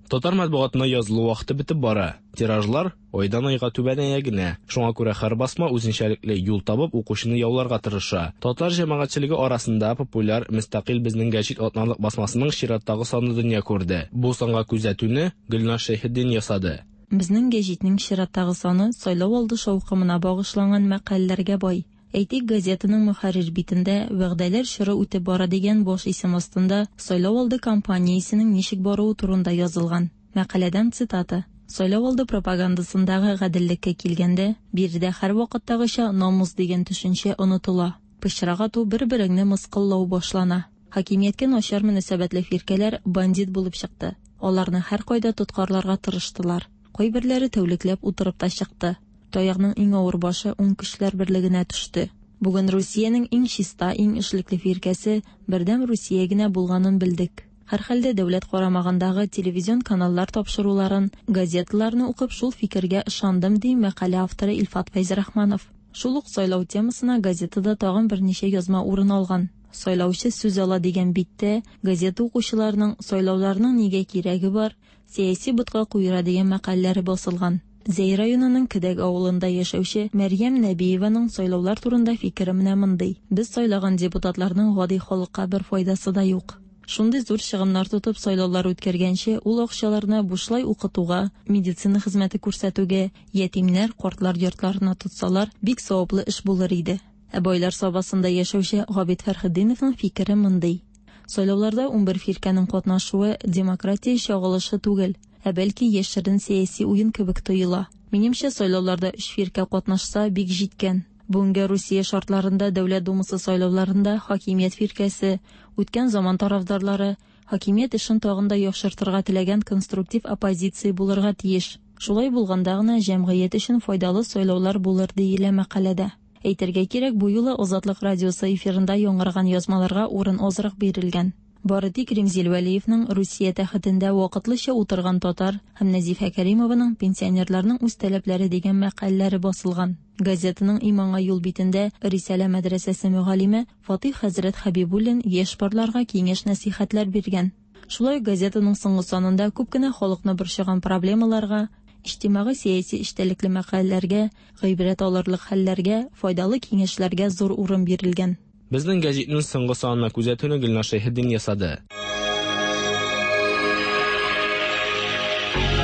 [SPEAKER 13] Татар матбугатына язылу вакыты бетеп бара. Тиражлар айдан айга түбәнәя генә. Шуңа күрә һәр басма үзенчәлекле юл табып укучыны яуларга тырыша. Татар җәмәгатьчелеге арасында популяр Мөстәкыйль безнең гәҗит атналык басмасының чираттагы саны дөнья күрде. Бу санга күзәтүне Гөлназ Шәйхетдин ясады.
[SPEAKER 22] Безнең гәҗитнең чираттагы саны сайлау алды шаукымына багышланган мәкаләләргә бай. Әйтик, газетаның мөхәррир битендә вәгъдәләр чоры үтеп бара дигән баш исем астында сайлау алды кампаниясенең ничек баруы турында язылган. Мәкаләдән цитата. Сайлау алды пропагандасындагы гаделлеккә килгәндә, биредә һәр вакыттагыча намус дигән төшенчә онытыла. Пычрак ату, бер-береңне мыскыллау башлана. Хакимияткә начар мөнәсәбәтле фиркәләр бандит булып чыкты. Аларны һәр кайда тоткарларга тырыштылар. Кайберләре тәүлекләп утырып та чыкты. Таягның иң авыр башы уң көчләр берлегенә төште. Бүген Русиянең иң чиста, иң эшлекле фиркәсе Бердәм Русия генә булганын белдек. Һәрхәлдә дәүләт карамагындагы телевизион каналлар тапшыруларын, газеталарны укып шул фикергә ышандым, ди мәкалә авторы Илфат Фәйзрахманов. Шул ук сайлау темасына газетада тагын берничә язма урын алган. Сайлаучы сүз ала дигән биттә газета укучыларының сайлауларның нигә кирәге бар, сәяси ботка куера дигән мәкаләләре басылган. Зәй районының Кедәк авылында яшәүче Мәрьям Нәбиеваның сайлаулар турында фикере менә мондый. Без сайлаган депутатларның гади халыкка бер файдасы да юк. Шундый зур чыгымнар тотып сайлаулар үткәргәнче, ул акчаларны бушлай укытуга, медицина хезмәте күрсәтүгә, ятимнәр, картлар йортларына тотсалар, бик саваплы эш булыр иде. Ә байлар сабасында яшәүче Габит Фәрхетдиновның фикере мондый. Сайлауларда унбер фиркәнең катнашуы демократия чагылышы түгел, ә бәлки яшерен сәяси уен кебек тоела. Минемчә, сайлауларда өч фиркә катнашса бик җиткән. Бүгенге Русия шартларында Дәүләт Думасы сайлауларында хакимият фиркәсе, үткән заман тарафдарлары, хакимият эшен тагын да яхшыртырга теләгән конструктив оппозиция булырга тиеш. Шулай булганда гына җәмгыять өчен файдалы сайлаулар булыр, диелә мәкаләдә. Әйтергә кирәк, бу юлы Азатлык радиосы эфирында яңгыраган язмаларга урын азрак бирелгән. Бары тик Римзил Вәлиевның Русия тәхетендә вакытлыча утырган татар һәм Нәзифә Кәримованың пенсионерларның үз таләпләре дигән мәкаләләре басылган. Газетаның Иманга юл битендә Рисалә мәдрәсәсе мөгаллиме Фатих хәзрәт Хәбибуллин яшь парларга киңәш-нәсихәтләр биргән. Шулай газетаның соңгы санында күп кенә халыкны борчыган проблемаларга, иҗтимагый сәяси эчтәлекле мәкаләләргә, гыйбрәт алырлык хәлләргә, файдалы киңәшләргә зур урын бирелгән.
[SPEAKER 13] Безнең гәҗитнең соңгы санына күзәтүне Гөлназ Шәйхетдин ясады.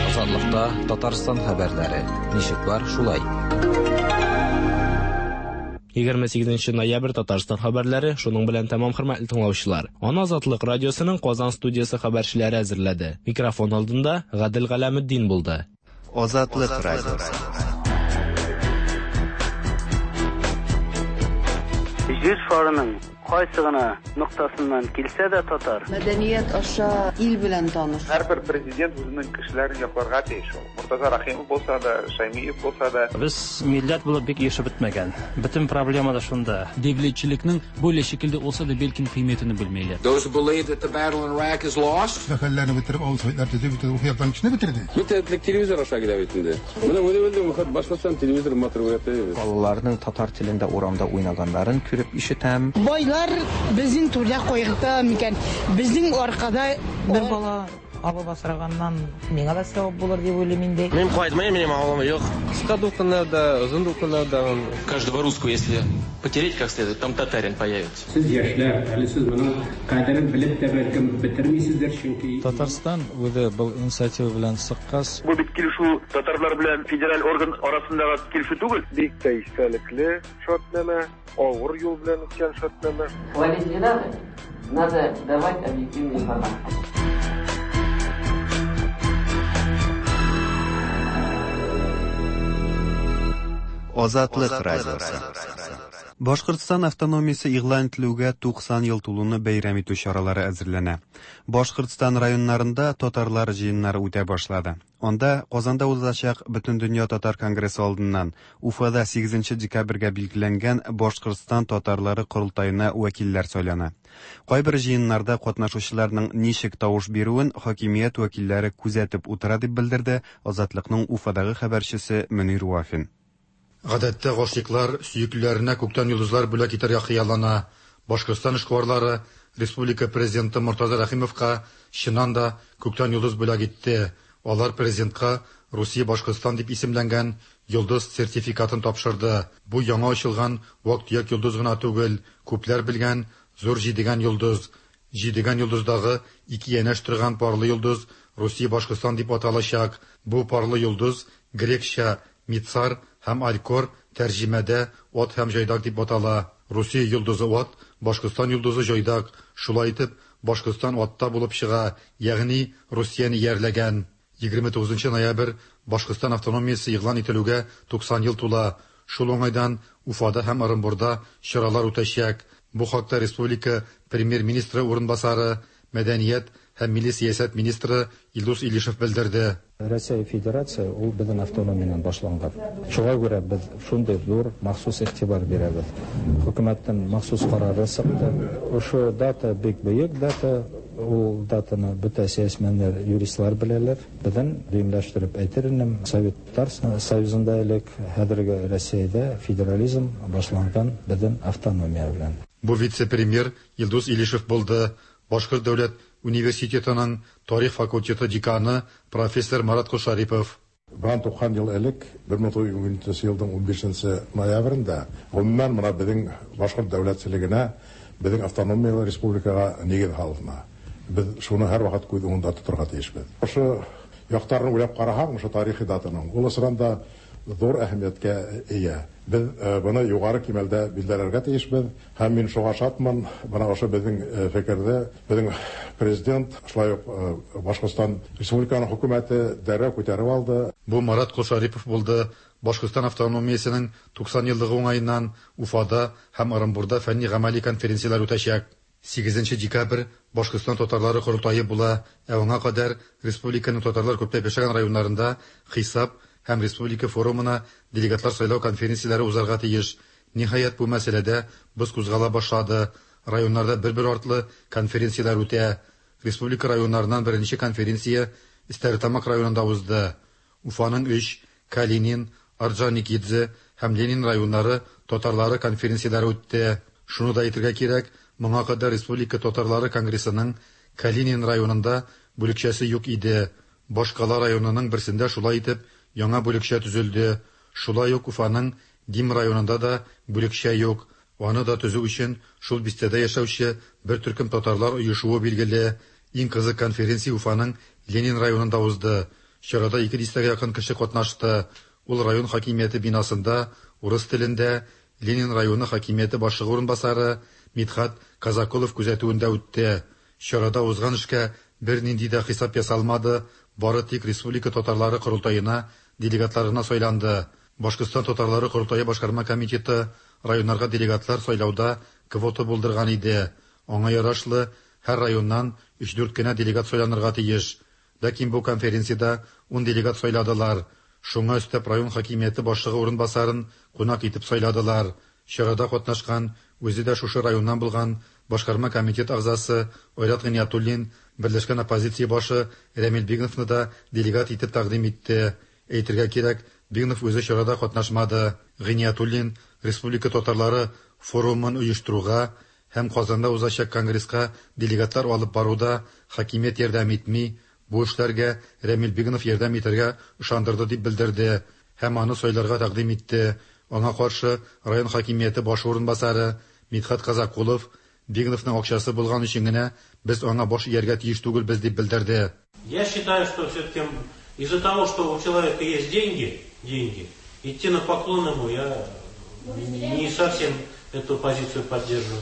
[SPEAKER 3] Азатлыкта Татарстан хәбәрләре. Ничек бар, шулай.
[SPEAKER 13] Егерме сигезенче ноябрь Татарстан хәбәрләре шуның белән тәмам, хөрмәтле тыңлаучылар. Аны Азатлык радиосының Казан студиясе хәбәрчеләре әзерләде. Микрофон алдында Гадел Галәметдин булды.
[SPEAKER 2] Азатлык радиосы.
[SPEAKER 4] Җир шарының кайсы гына ноктасыннан килсә дә татар.
[SPEAKER 5] Мәдәният аша ил белән таныш.
[SPEAKER 23] Һәрбер президент үзенең кешеләрен якларга тиеш ул. Мортаза Рахимов булса да, Шаймиев булса да.
[SPEAKER 24] Без милләт булып бик ешып бетмәгән. Бөтен проблема да шунда.
[SPEAKER 25] Devletçilikning böyle şekilde olsa da belki kıymetini bilmeyler.
[SPEAKER 26] Those who believe that the battle in Iraq is lost.
[SPEAKER 27] Хәлләрне бетереп, авыл советлар төзеп, бөтен рухияттан кешене бетерде.
[SPEAKER 28] Бөтен телевизор аша килә бит инде. Менә үзе Башкортстан телевизор матур күрәтә.
[SPEAKER 29] Балаларның татар телендә урамда уйнаганнарын күреп ишетәм.
[SPEAKER 30] Байлар безнең түрдә кайгырта микән? Безнең аркада
[SPEAKER 31] бер бала алып асраганнан миңа да савап булыр дип уйлыйм инде.
[SPEAKER 32] Мин кайтмыйм, минем авылым юк.
[SPEAKER 33] Кыска дулкыннарда, озын дулкыннарда.
[SPEAKER 34] Каждого русского, если потереть как следует, там татарин появится.
[SPEAKER 35] Сез яшьләр, әле сез моның кадерен белеп тә бәлкем бетермисездер, чөнки
[SPEAKER 36] Татарстан үзе был инициатива белән чыккач.
[SPEAKER 37] Бу бит килешү татарлар белән федераль орган арасындагы килешү түгел.
[SPEAKER 38] Бик тә истәлекле шартнамә, авыр юл белән үткән шартнамә.
[SPEAKER 39] Хвалить не надо, надо давать объективную информацию.
[SPEAKER 2] Азатлык радиосы. Башкортстан автономиясе игълан ителүгә туксан ел тулуны бәйрәм итү чаралары әзерләнә. Башкортстан районнарында татарлар җыеннары үтә башлады. Анда Казанда узачак Бөтендөнья татар конгрессы алдыннан Уфада сигезенче декабрьгә билгеләнгән Башкортстан татарлары корылтаена вәкилләр сайлана. Кайбер җыеннарда катнашучыларның ничек тавыш бирүен хакимият вәкилләре күзәтеп утыра дип белдерде Азатлыкның Уфадагы хәбәрчесе Мөнир Вафин.
[SPEAKER 40] Гадәттә гашыйклар сөеклеләренә күктән йолдызлар бүләк итәргә хыяллана. Башкортстан эшкуарлары республика президенты Мортаза Рахимовка чыннан да күктән йолдыз бүләк итте. Алар президентка Русия Башкортстан дип исемләнгән йолдыз сертификатын тапшырды. Бу яңа ачылган вак-төяк йолдыз гына түгел, күпләр белгән зур җидегән йолдыз. Җидегән йолдыздагы ике янәш торган парлы йолдыз Русия Башкортстан дип аталачак. Бу парлы йолдыз грекча Мицар һәм Алькор тәрҗемәдә ат һәм җайдак дип атала. Русия йолдызы ат, Башкортстан йолдызы җайдак. Шулай итеп, Башкортстан атта булып чыга, ягъни Русияне иярләгән. егерме тугызынчы ноябрь Башкортстан автономиясе игълан ителүгә туксан ел тула. Шул уңайдан Уфада һәм Орынбурда чаралар үтәчәк. Бу хакта республика премьер-министры урынбасары, мәдәният һәм милли сәясәт министры Илдус Илишев белдерде.
[SPEAKER 36] Россия Федерация ул безнең автономиянан башланган. Шуңа күрә без шундый зур махсус игътибар бирәбез. Хөкүмәттән махсус карары чыкты. Ошо дата бик бөек дата. Ул датаны бөтә сәясәтчеләр, юристлар беләләр. Безнең дөймләштереп әйтер идем, Советлар Союзында элек хәзерге Россиядә федерализм башланган безнең автономия белән.
[SPEAKER 40] Бу вице-премьер Илдус Илишев булды. Башкорт дәүләт университетының тарих факультеты деканы профессор Марат Кошарипов.
[SPEAKER 41] Бынан туксан ел элек, бер мең тугыз йөз унынчы елның унбишенче ноябрендә, гомумән менә безнең башкорт дәүләтчелегенә, безнең автономиялы республикага нигез салына. Без шуны һәрвакыт күз уңында тотарга тиешбез. Ошо яктарын уйлап карасаң, ошо тарихи датаның ул ысранда зур әһәмияткә ия. Без быны югары кимәлдә билдерергә тиешбез. Һәм мин шуңа шатмын, бына ошо безнең фикердә, безнең президент, шулай ук Башкортстан Республиканың хөкүмәте дәррәү күтәреп алды.
[SPEAKER 40] Бу Марат Кошарипов булды. Башкортстан автономиясенең туксан еллыгы уңаеннан Уфада һәм Орынбурда фәнни гамәли конференцияләр үтәчәк. Сигезенче декабрь Башкортстан татарлары корылтае була. Ә аңа кадәр республиканың татарлар күпләп яшәгән районнарында хисап һәм республика форумына делегатлар сайлау конференцияләре узарга тиеш. Ниһаять, бу мәсьәләдә боз кузгала башлады. Районнарда бер-бер артлы конференцияләр үтә. Республика районнарыннан беренче конференция Стәрлетамак районында узды. Уфаның өч, Калинин, Орджоникидзе һәм Ленин районнары татарлары конференцияләре үтте. Шуны да әйтергә кирәк, моңа кадәр Республика татарлары конгрессының Калинин районында бүлекчәсе юк иде. Башкала районының берсендә шулай итеп яңа бүлекчә төзелде. Шулай ук Уфаның Дим районында да бүлекчә юк. Аны да төзү өчен шул бистәдә яшәүче бер төркем татарлар оешуы билгеле. Иң кызык конференция Уфаның Ленин районында узды. Чарада ике дистәгә якын кеше катнашты. Ул район хакимияте бинасында урыс телендә Ленин районы хакимияте башлыгы урынбасары Мидхат Казакулов күзәтүендә үтте. Чарада узган эшкә бернинди дә хисап ясалмады, бары тик республика татарлары корылтаена делегатлар гына сайланды. Башкортстан татарлары корылтае башкарма комитеты районнарга делегатлар сайлауда квота булдырган иде. Аңа ярашлы һәр районнан өч-дүрт кенә делегат сайланырга тиеш. Ләкин бу конференциядә ун делегат сайладылар. Шуңа өстәп район хакимияте башлыгы урынбасарын кунак итеп сайладылар. Чарада катнашкан, үзе дә шушы районнан булган башкарма комитет әгъзасы Айрат Гыйниятуллин берләшкән оппозиция башы Рәмил Бигновны да делегат итеп тәкъдим итте. Әйтергә кирәк, Бигнов үзе чарада катнашмады. Гыйниятуллин республика татарлары форумын оештыруга һәм Казанда узачак конгресска делегатлар алып баруда хакимият ярдәм итми, бу эшләргә Рәмил Бигнов ярдәм итәргә ышандырды дип белдерде һәм аны сайларга тәкъдим итте. Аңа каршы район хакимияте башы урынбасары Мидхат Казакулов Бигновның акчасы булган өчен генә без аңа баш ияргә тиеш түгелбез дип белдерде.
[SPEAKER 1] Я считаю, что все-таки из-за того, что у человека есть деньги, деньги, идти на поклон ему я не совсем эту позицию поддерживаю.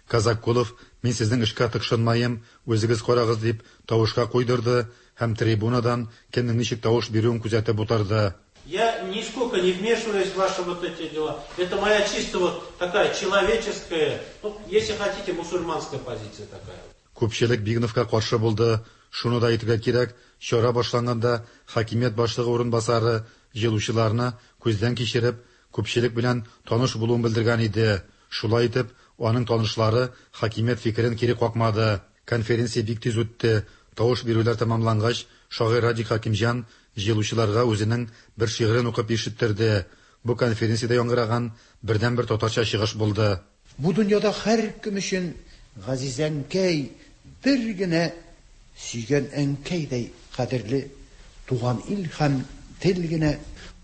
[SPEAKER 40] Казакулов, мин сезнең эшкә тыкшынмаем, үзегез карагыз дип тавышка куйдырды һәм трибунадан кемнең ничек тавыш бирүен күзәтеп утырды.
[SPEAKER 1] Я нисколько не вмешиваюсь в ваши вот эти дела. Это моя чисто вот такая человеческая, ну, если хотите, мусульманская позиция такая.
[SPEAKER 40] Күпчелек Бигновка каршы булды. Шуны да әйтергә кирәк, чара башланганда хакимият башлыгы урынбасары җыелучыларны күздән кичереп, күпчелек белән таныш булуын белдергән иде. Шулай итеп, аның танышлары хакимият фикерен кире какмады. Конференция бик тиз үтте. Тавыш бирүләр тәмамлангач, шагыйрь Радик Хакимҗан җыелучыларга үзенең бер шигырен укып ишеттерде. Бу конференциядә яңгыраган бердәнбер татарча чыгыш булды.
[SPEAKER 3] Бу дөньяда һәркем өчен газиз әнкәй бер генә сөйгән әнкәйдәй кадерле туган ил һәм тел генә.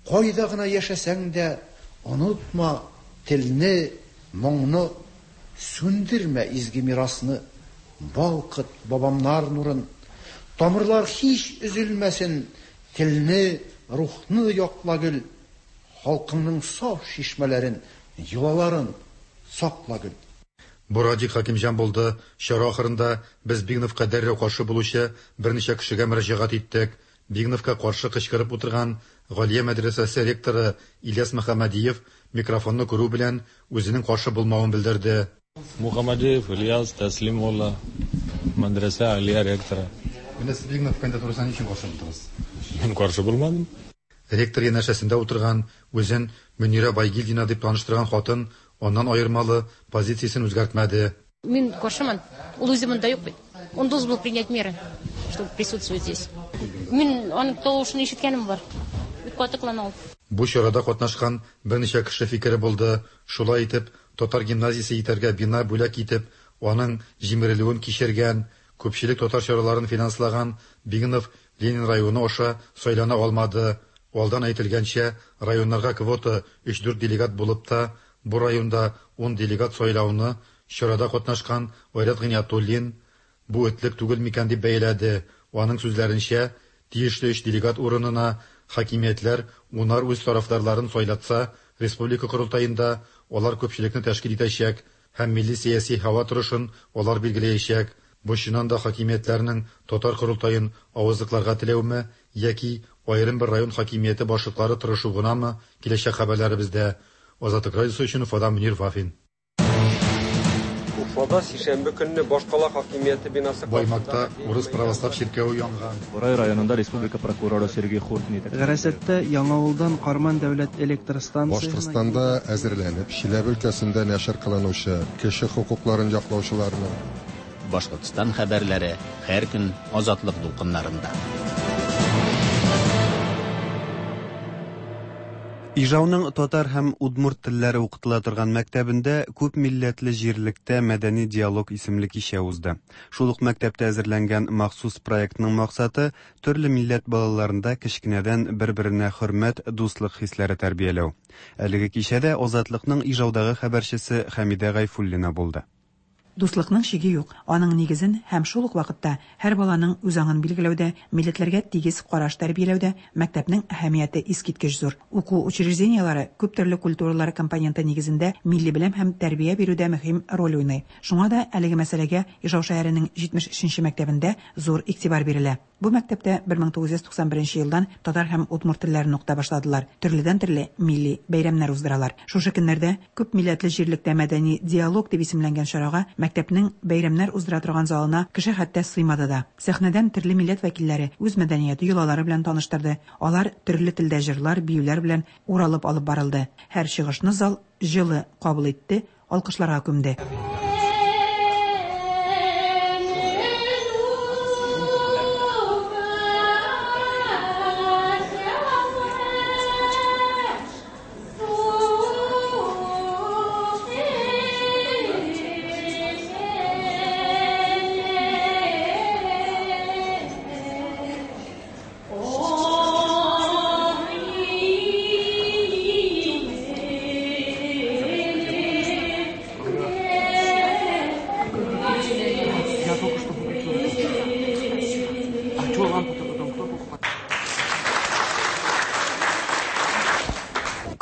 [SPEAKER 3] Кайда гына яшәсәң дә онытма телне, моңны, сүндермә изге мирасны, балкыт бабамнар нурын. Тамырлар һич өзелмәсен, телне, рухны якла гөл, халкыңның саф чишмәләрен, йолаларын сакла гөл.
[SPEAKER 40] Бу Радик Хакимҗан булды. Чара ахырында без Бигновка дәррәү каршы булучы берничә кешегә мөрәҗәгать иттек. Бигновка каршы кычкырып утырган Галия мәдрәсәсе ректоры Ильяс Мөхәммәдиев микрофонны күрү белән үзенең каршы булмавын белдерде.
[SPEAKER 4] Мөхәммәдиев Ильяс Тәслим улы, мәдрәсә Алия ректоры.
[SPEAKER 40] Менә сез Бигнов кандидатурасына ничек каршы булдыгыз?
[SPEAKER 4] Мин каршы булмадым.
[SPEAKER 40] Ректор янәшәсендә утырган, үзен Мөнирә Байгилдина дип таныштырган хатын аннан аермалы позициясен үзгәртмәде.
[SPEAKER 6] Мин каршымын. Ул үзе монда юк бит. Он должен был принять меры, чтобы присутствовать здесь. Мин аның тавышын ишеткәнем бар. Бик каты кылана ул.
[SPEAKER 40] Бу чарада катнашкан берничә кеше фикере булды. Шулай итеп, татар гимназиясе итәргә бина бүләк итеп, аның җимерелүен кичергән, күпчелек татар чараларын финанслаган Бигнов Ленин районы аша сайлана алмады. Алдан әйтелгәнчә, районнарга квота өч-дүрт делегат булып та, бу районда ун делегат сайлауны чарада катнашкан Айрат Гыйниятуллин бу этлек түгел микән дип бәяләде. Аның сүзләренчә, тиешле өч делегат урынына хакимиятләр унар үз тарафдарларын сайлатса, республика корылтаенда алар күпчелекне тәшкил итәчәк һәм милли сәяси һава торышын алар билгеләячәк. Бу чыннан да хакимиятләрнең татар корылтаен авызлыкларга теләүме яки аерым бер район хакимияте башлыклары тырышу гынамы, киләчәк хәбәрләребездә. Азатлык радиосы өчен Уфадан Мөнир Вафин.
[SPEAKER 33] Уфада сишәмбе көнне башкала хакимияте бинасы
[SPEAKER 40] Баймакта урыс православ чиркәве янган.
[SPEAKER 7] Бурай районында республика прокуроры Сергей Хуртин.
[SPEAKER 8] Гарәсәттә Яңавылдан Карман дәүләт электр станциясенә
[SPEAKER 9] Башкортстанда әзерләнеп, Чиләбе өлкәсендә нәшер кылынучы кеше хокукларын яклаучыларның
[SPEAKER 10] Башкортстан хәбәрләре һәр көн Азатлык дулкыннарында.
[SPEAKER 2] Ижауның татар һәм удмурт телләре укытыла торган мәктәбендә күп милләтле җирлектә мәдәни диалог исемле кичә узды. Шул ук мәктәптә әзерләнгән махсус проектның максаты төрле милләт балаларында кечкенәдән бер-беренә хөрмәт, дуслык хисләре тәрбияләү. Әлеге кичәдә Азатлыкның Ижаудагы хәбәрчесе Хәмидә Гайфуллина булды.
[SPEAKER 5] Дуслыкның чиге юк. Аның нигезен һәм шул ук вакытта һәр баланың үз аңын билгеләүдә, милләтләргә тигез караш тәрбияләүдә мәктәпнең әһәмияте искиткеч зур. Уку учреждениеләре күп төрле культуралар компоненты нигезендә милли белем һәм тәрбия бирүдә мөһим роль уйный. Шуңа да әлеге мәсьәләгә Ижау шәһәренең җитмеш өченче мәктәбендә зур игътибар бирелә. Бу мәктәптә бер мең тугыз йөз туксан беренче елдан татар һәм удмурт телләрен укыта башладылар. Төрледән-төрле милли бәйрәмнәр уздыралар. Шушы көннәрдә күп милләтле җирлектә мәдәни диалог дип исемләнгән чарага мәктәпнең бәйрәмнәр уздыра торган залына кеше хәтта сыймады да. Сәхнәдән төрле милләт вәкилләре үз мәдәнияте йолалары белән таныштырды. Алар төрле телдә җырлар, биюләр белән уралып алып барылды. Һәр чыгышны зал җылы кабул итте, алкышларга күмде.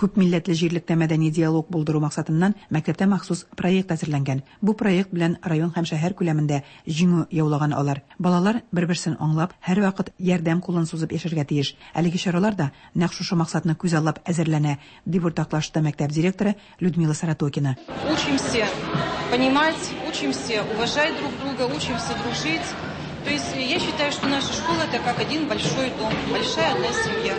[SPEAKER 5] Күп милләтле җирлектә мәдәни диалог булдыру максатыннан мәктәптә махсус проект әзерләнгән. Бу проект белән район һәм шәһәр күләмендә җиңү яулаган алар. Балалар бер-берсен аңлап, һәрвакыт ярдәм кулын сузып яшәргә тиеш. Әлеге чаралар да нәкъ шушы максатны күзаллап әзерләнә, дип уртаклашты мәктәп директоры Людмила Саратокина.
[SPEAKER 11] Учимся понимать, учимся уважать друг друга, учимся дружить. То есть я считаю, что наша школа это как один большой дом, большая одна семья.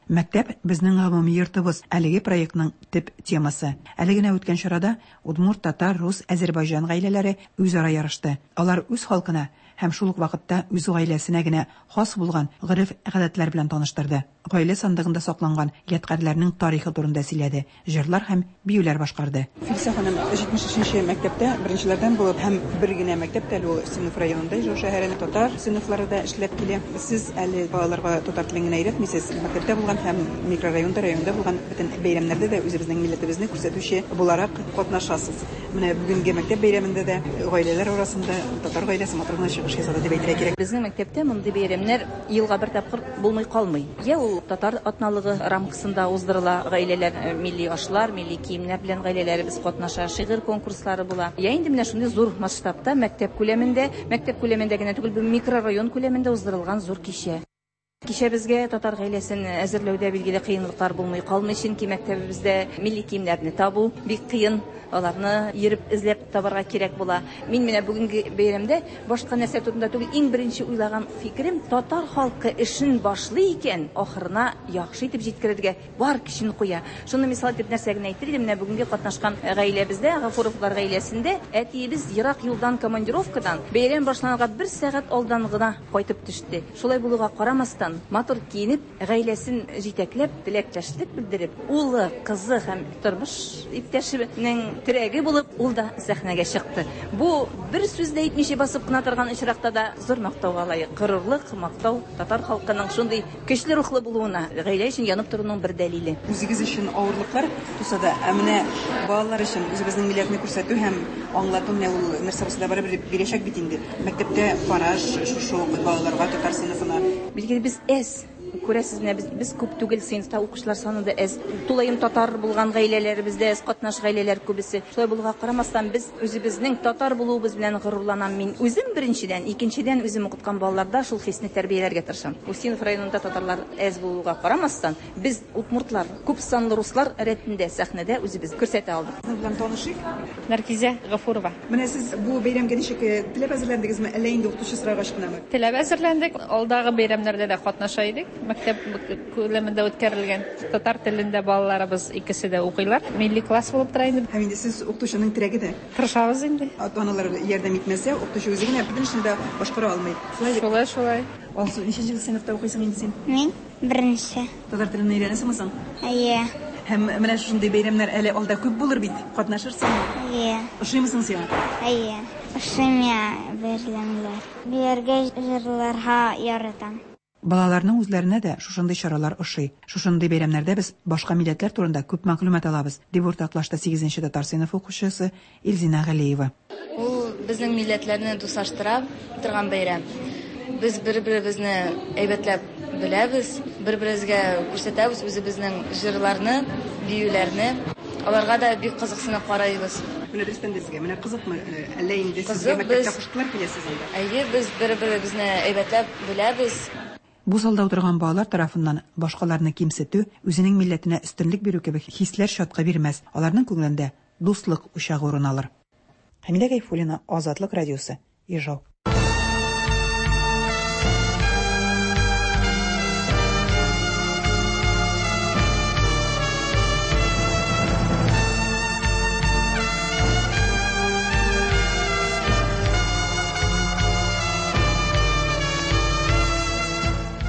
[SPEAKER 5] Мәктәп безнең гомуми йортыбыз әлеге проектның төп темасы. Әле генә үткән чарада удмурт, татар, рус, әзербайҗан гаиләләре үзара ярышты. Алар үз халкына һәм шул ук вакытта үз гаиләсенә генә хас булган гореф-гадәтләр белән таныштырды. Гаилә сандыгында сакланган ядкарьләрнең тарихы турында сөйләде, җырлар һәм биюләр башкарды.
[SPEAKER 12] Филсә ханым җитмеш өченче мәктәптә беренчеләрдән булып һәм бер генә мәктәптә әле ул Синов районында Ижау шәһәренең татар сыйныфлары да эшләп килә. Сез әле балаларга татар телен генә өйрәтмисез, мәктәптә булган һәм микрорайонда, районда булган бөтен бәйрәмнәрдә дә үзебезнең милләтебезне күрсәтүче буларак катнашасыз. Менә бүгенге мәктәп бәйрәмендә дә гаиләләр арасында татар гаиләсе матур гына чыгыш ясады дип әйтергә кирәк.
[SPEAKER 13] Безнең мәктәптә мондый бәйрәмнәр елга бер тапкыр булмый калмый. Я ул татар атналыгы рамкасында уздырыла, гаиләләр милли ашлар, милли киемнәр белән гаиләләребез катнаша, шигырь конкурслары була. Я инде менә шундый зур масштабта мәктәп күләмендә, мәктәп күләмендә генә түгел, бу микрорайон күләмендә уздырылган зур кичә. Кичәбезгә татар гаиләсен әзерләүдә билгеле кыенлыклар булмый калмый, чөнки мәктәбебездә милли киемнәрне табу бик кыен, аларны йөреп эзләп табарга кирәк була. Мин менә бүгенге бәйрәмдә башка нәрсә турында түгел, иң беренче уйлаган фикерем татар халкы эшен башлый икән, ахырына яхшы итеп җиткерергә бар көчен куя. Шуны мисал итеп нәрсә генә әйтер идем, менә бүгенге катнашкан гаиләбездә, Гафуровлар гаиләсендә әтиебез ерак юлдан командировкадан бәйрәм башланырга бер сәгать алдан гына кайтып төште. Шулай булуга карамастан, матур киенеп, гаиләсен җитәкләп, теләктәшлек белдереп, улы, кызы һәм тормыш иптәшенең терәге булып, ул да сәхнәгә чыкты. Бу бер сүз дә әйтмичә басып кына торган очракта да зур мактауга лаек. Горурлык, мактау татар халкының шундый көчле рухлы булуына, гаилә өчен янып торуның бер дәлиле.
[SPEAKER 12] Үзегез өчен авырлыклар туса да, ә менә балалар өчен үзебезнең милләтне күрсәтү һәм аңлату менә ул нәрсә булса да барыбер бирәчәк бит инде. Мәктәптә караш шушы балаларга татар сыйныфына.
[SPEAKER 13] Билгеле без әз күрәсез, менә без, без күп түгел, сыйныфта укучылар саны да әз. Тулаем татар булган гаиләләребездә әз, катнаш гаиләләр күбесе. Шулай булуга карамастан, без үзебезнең татар булуыбыз белән горурланам мин. Үзем беренчедән, икенчедән үзем укыткан балаларда шул хисне тәрбияләргә тырышам. Устинов районында татарлар әз булуга карамастан, без удмуртлар, күп санлы руслар рәтендә сәхнәдә үзебез күрсәтә алдык.
[SPEAKER 12] Сезнең белән танышыйк.
[SPEAKER 14] Наркизә Гафурова.
[SPEAKER 12] Менә сез бу бәйрәмгә ничек теләп әзерләндегезме, әллә инде укытучы сорагач кынамы?
[SPEAKER 14] Теләп әзерләндек. Алдагы бәйрәмнәрдә дә катнаша идек. Мәктәп күләмендә үткәрелгән татар телендә балаларыбыз икесе дә укыйлар. Милли класс булып тора инде.
[SPEAKER 12] Һәм инде сез укытучының терәге дә.
[SPEAKER 14] Тырышабыз инде.
[SPEAKER 12] Ата-аналар ярдәм итмәсә, укытучы үзе генә бөтен эшне дә башкара алмый.
[SPEAKER 14] Шулай, шулай.
[SPEAKER 12] Алсу, ничәнче сыйныфта укыйсың инде син?
[SPEAKER 15] Мин беренче.
[SPEAKER 12] Татар телен өйрәнәсеңме соң?
[SPEAKER 15] Әйе.
[SPEAKER 12] Һәм менә шундый бәйрәмнәр әле алда күп булыр бит. Катнашырсыңмы?
[SPEAKER 15] Әйе.
[SPEAKER 12] Ошыймы соң сиңа?
[SPEAKER 15] Әйе. Ошый миңа бәйрәмнәр. Биергә, җырларга яратам.
[SPEAKER 5] Балаларның үзләренә дә шушындый чаралар ошый. Шушындый бәйрәмнәрдә без башка милләтләр турында күп мәгълүмат алабыз, дип уртаклашты сигезенче татар сыйныф укучысы Илзина Галиева.
[SPEAKER 16] Ул безнең милләтләрне дуслаштыра торган бәйрәм. Без бер-беребезне әйбәтләп беләбез, бер-беребезгә күрсәтәбез үзебезнең җырларны, биюләрне. Аларга да бик кызыксынып карыйбыз.
[SPEAKER 12] Менә дөрестән дә сезгә, менә кызыкмы, әллә инде сезгә мәктәптә куштылар киләсез анда?
[SPEAKER 16] Әйе, без бер-беребезне әйбәтләп беләбез.
[SPEAKER 5] Бу залда утырган балалар тарафыннан башкаларны кимсетү, үзенең милләтенә өстенлек бирү кебек хисләр чаткы бирмәс. Аларның күңелендә дуслык учагы урын алыр. Хәмидә Гайфуллина, Азатлык радиосы, Ижау.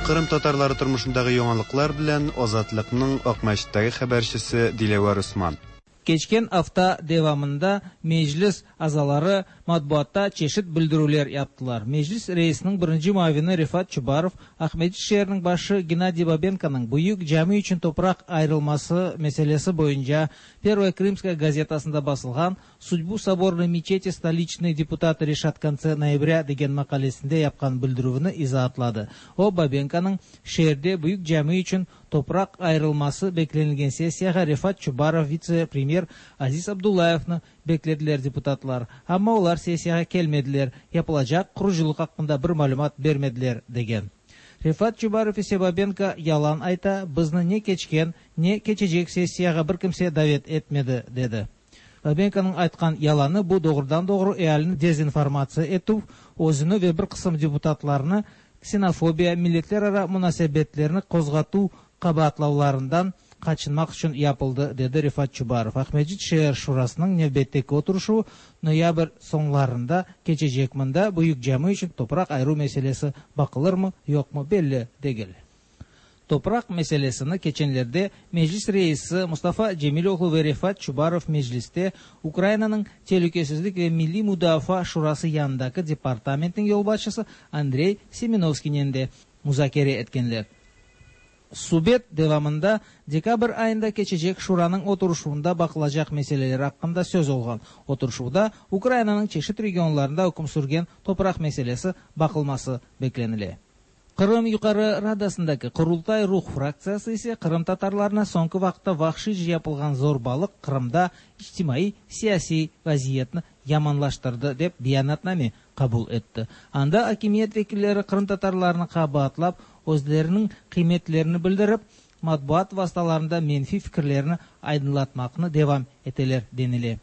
[SPEAKER 2] Кырым татарлары тормышындагы яңалыклар белән Азатлыкның Акмәчеттәге хәбәрчесе Диләвәр Усман.
[SPEAKER 17] Keçken hafta devamında meclis azaları matbuatta çeşit bildirüler yaptılar. Meclis reisinin birinci muavini Refat Çubarov, Aqmescit şeeriniñ başı Gennadiy Babenkonıñ büyük cami içün topraq ayırılması meselesi boyunca Первая Крымская gazetasında basılğan «Судьбу соборной мечети столичные депутаты решат в конце ноября» degen maqalesinde yapqan bildirüvini izaatladı. O, Babenkonıñ şeerde büyük cami içün topraq ayırılması beklenilgen sessiyağa Refat Çubarov vitse-premyer Aziz Abdullayevni beklediler deputatlar. Amma olar sessiyağa kelmediler, yapılacaq qurucılıq aqqında bir malümat bermediler degen. Refat Çubarov ise Babenko yalan ayta, bizni ne keçken, ne keçecek sessiyağa bir kimse davet etmedi, dedi. Babenkonıñ aytqan yalanı bu doğrudan-doğru ealini dezinformatsiya etüv, özüni ve bir qısım deputatlarnı ksenofobiya, milletlerara munasebetlerini qozğatuv qabaatlavlarından qaçınmaq içün yapıldı, dedi Refat Çubarov. Aqmescit şeer şurasınıñ nevbetteki oturışuvı noyabr soñlarında keçecek. Mında büyük cami içün topraq ayıruv meselesi baqılırmı, yoqmı belli degil. Topraq meselesini keçenlerde Meclis reisi Mustafa Cemiloğlu ve Refat Çubarov mecliste Ukrainanıñ Telükesizlik ve Milliy Mudafaa Şurası yanındaki departamentniñ yolbaşçısı Andrey Semenovskiynen de muzakere etkenler. Subet devamında dekabr ayında keçecek şuranıñ oturışuvında baqılacaq meseleler aqqında söz olğan. Oturışuvda Ukrainanıñ çeşit regionlarında üküm sürgen topraq meselesi baqılması beklenile. Qırım Yuqarı Radasındaki Qurultay Ruh fraktsiyası ise qırımtatarlarına soñki vaqıtta vahşiyce yapılğan zorbalıq Qırımda içtimaiy-siyasiy vaziyetni yamanlaştırdı dep beyanatname qabul etti. Anda akimiyet vekilleri qırımtatarlarnı qabaatlap, özleriniñ qıymetlerini bildirip, matbuat vastalarında menfiy fikirlerini aydınlatmaqnı devam eteler denile.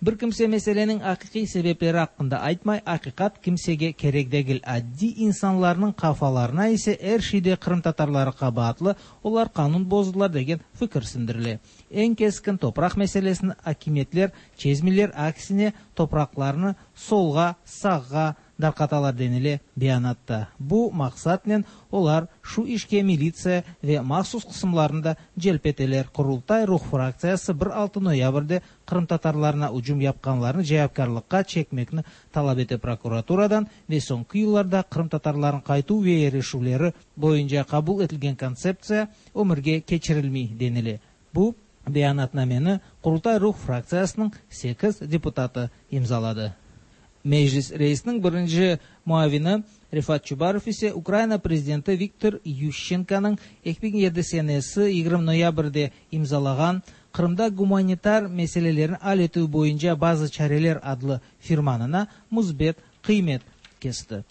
[SPEAKER 17] Bir kimse meseleniñ aqiqiy sebepleri aqqında aytmay, aqiqat kimsege kerek degil. Addiy insanlarnıñ qafalarına ise er şeyde qırımtatarları qabaatlı, olar qanun bozdılar degen fikir sindirile. Eñ keskin topraq meselesini akimiyetler çezmeyler, aksine topraqlarnı solğa, sağğa darqatalar denile beyanatta. Bu maqsatnen olar şu işke militsiya ve mahsus qısımlarnı da celp eteler. Qurultay Ruh fraktsiyası bir altı noyabrde qırımtatarlarına ücüm yapqanlarnı cevapkârlıqqa çekmekni talap ete prokuraturadan ve soñki yıllarda qırımtatarlarnıñ qaytuv ve yerleşüvleri boyunca qabul etilgen kontseptsiya ömürge keçirilmey denile. Bu beyanatnameni Qurultay Ruh fraktsiyasınıñ sekiz deputatı imzaladı. Meclis reisiniñ birinci muavini Refat Çubarov ise Ukraina prezidenti Viktor Yuşçenkonıñ eki biñ yedi senesi yigirmi noyabrde imzalağan Qırımda gumanitar meselelerni al etüv boyunca bazı çareler adlı firmanına müsbet qıymet kesti.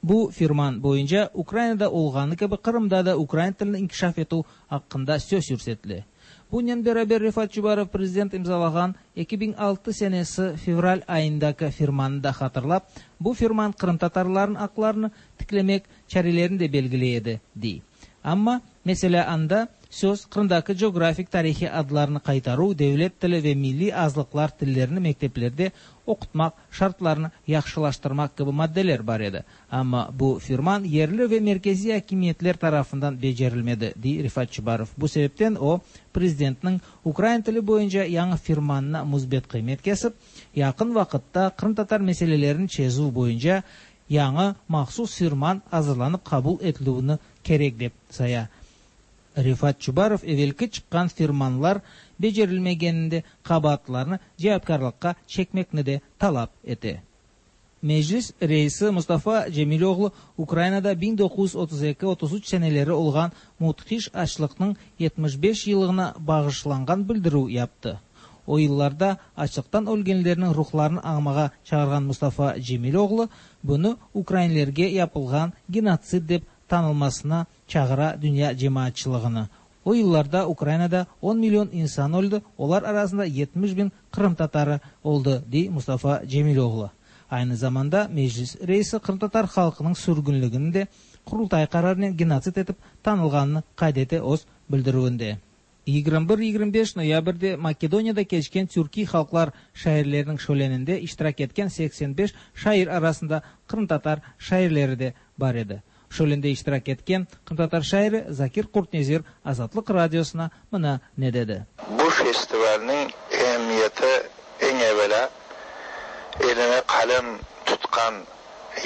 [SPEAKER 17] Bu firman boyunca Ukrainada olğanı kibi Qırımda da ukrain tilini inkişaf etüv aqqında söz yürsetile. Bunen beraber Refat Çubarov prezident imzalağan eki biñ altı senesi fevral ayındaki firmanı da hatırlap, bu firman qırımtatarlarnıñ aqlarını tiklemek çarelerini de belgiley edi, dey. Amma, meselâ, anda söz Qırımdaki coğrafik tarihiy adlarnı qaytaruv, devlet tili ve milliy azlıqlar tillerini mekteplerde oqutmaq şartlarını yahşılaştırmaq kibi maddeler bar edi. Amma bu firman yerli ve merkeziy akimiyetler tarafından becerilmedi, dey Refat Çubarov. Bu sebepten o, prezidentniñ ukrain tili boyunca yañı firmanına müsbet qıymet kesip, yaqın vaqıtta qırımtatar meselelerini çezüv boyunca yañı mahsus firman azırlanıp qabul etilüvini kerek dep saya. Refat Çubarov evelki çıqqan firmanlar becerilmegeninde qabaatlılarnı cevapkârlıqqa çekmekni de talap ete. Meclis reisi Mustafa Cemiloğlu Ukrainada biñ doquz yüz otuz eki otuz üç seneleri olğan müthiş açlıqnıñ yetmiş beş yıllığına bağışlanğan bildirüv yaptı. O yıllarda açlıqtan ölgenlerniñ ruhlarını añmağa çağırğan Mustafa Cemiloğlu bunı ukrainlerge yapılğan genotsid dep tanılmasına çağıra dünya cemaatçılığını. O yıllarda Ukrainada on million insan öldi, olar arasında yetmiş biñ qırımtatarı oldı, dey Mustafa Cemiloğlu. Aynı zamanda Meclis reisi qırımtatar halqınıñ sürgünligini de Qurultay qararınen genotsid etip tanılğanını qayd ete öz bildirüvinde. Yigirmi bir yigirmi beş noyabrde Makedoniyada keçken türkiy halqlar şairleriniñ şöleninde iştirak etken seksen beş şair arasında qırımtatar şairleri de bar edi. Şölende iştirak etken qırımtatar şairi Zakir Qurtnezir Azatlıq Radiosına mına ne dedi.
[SPEAKER 18] Bu festivalniñ emiyeti eñ evelâ eline qalem tutqan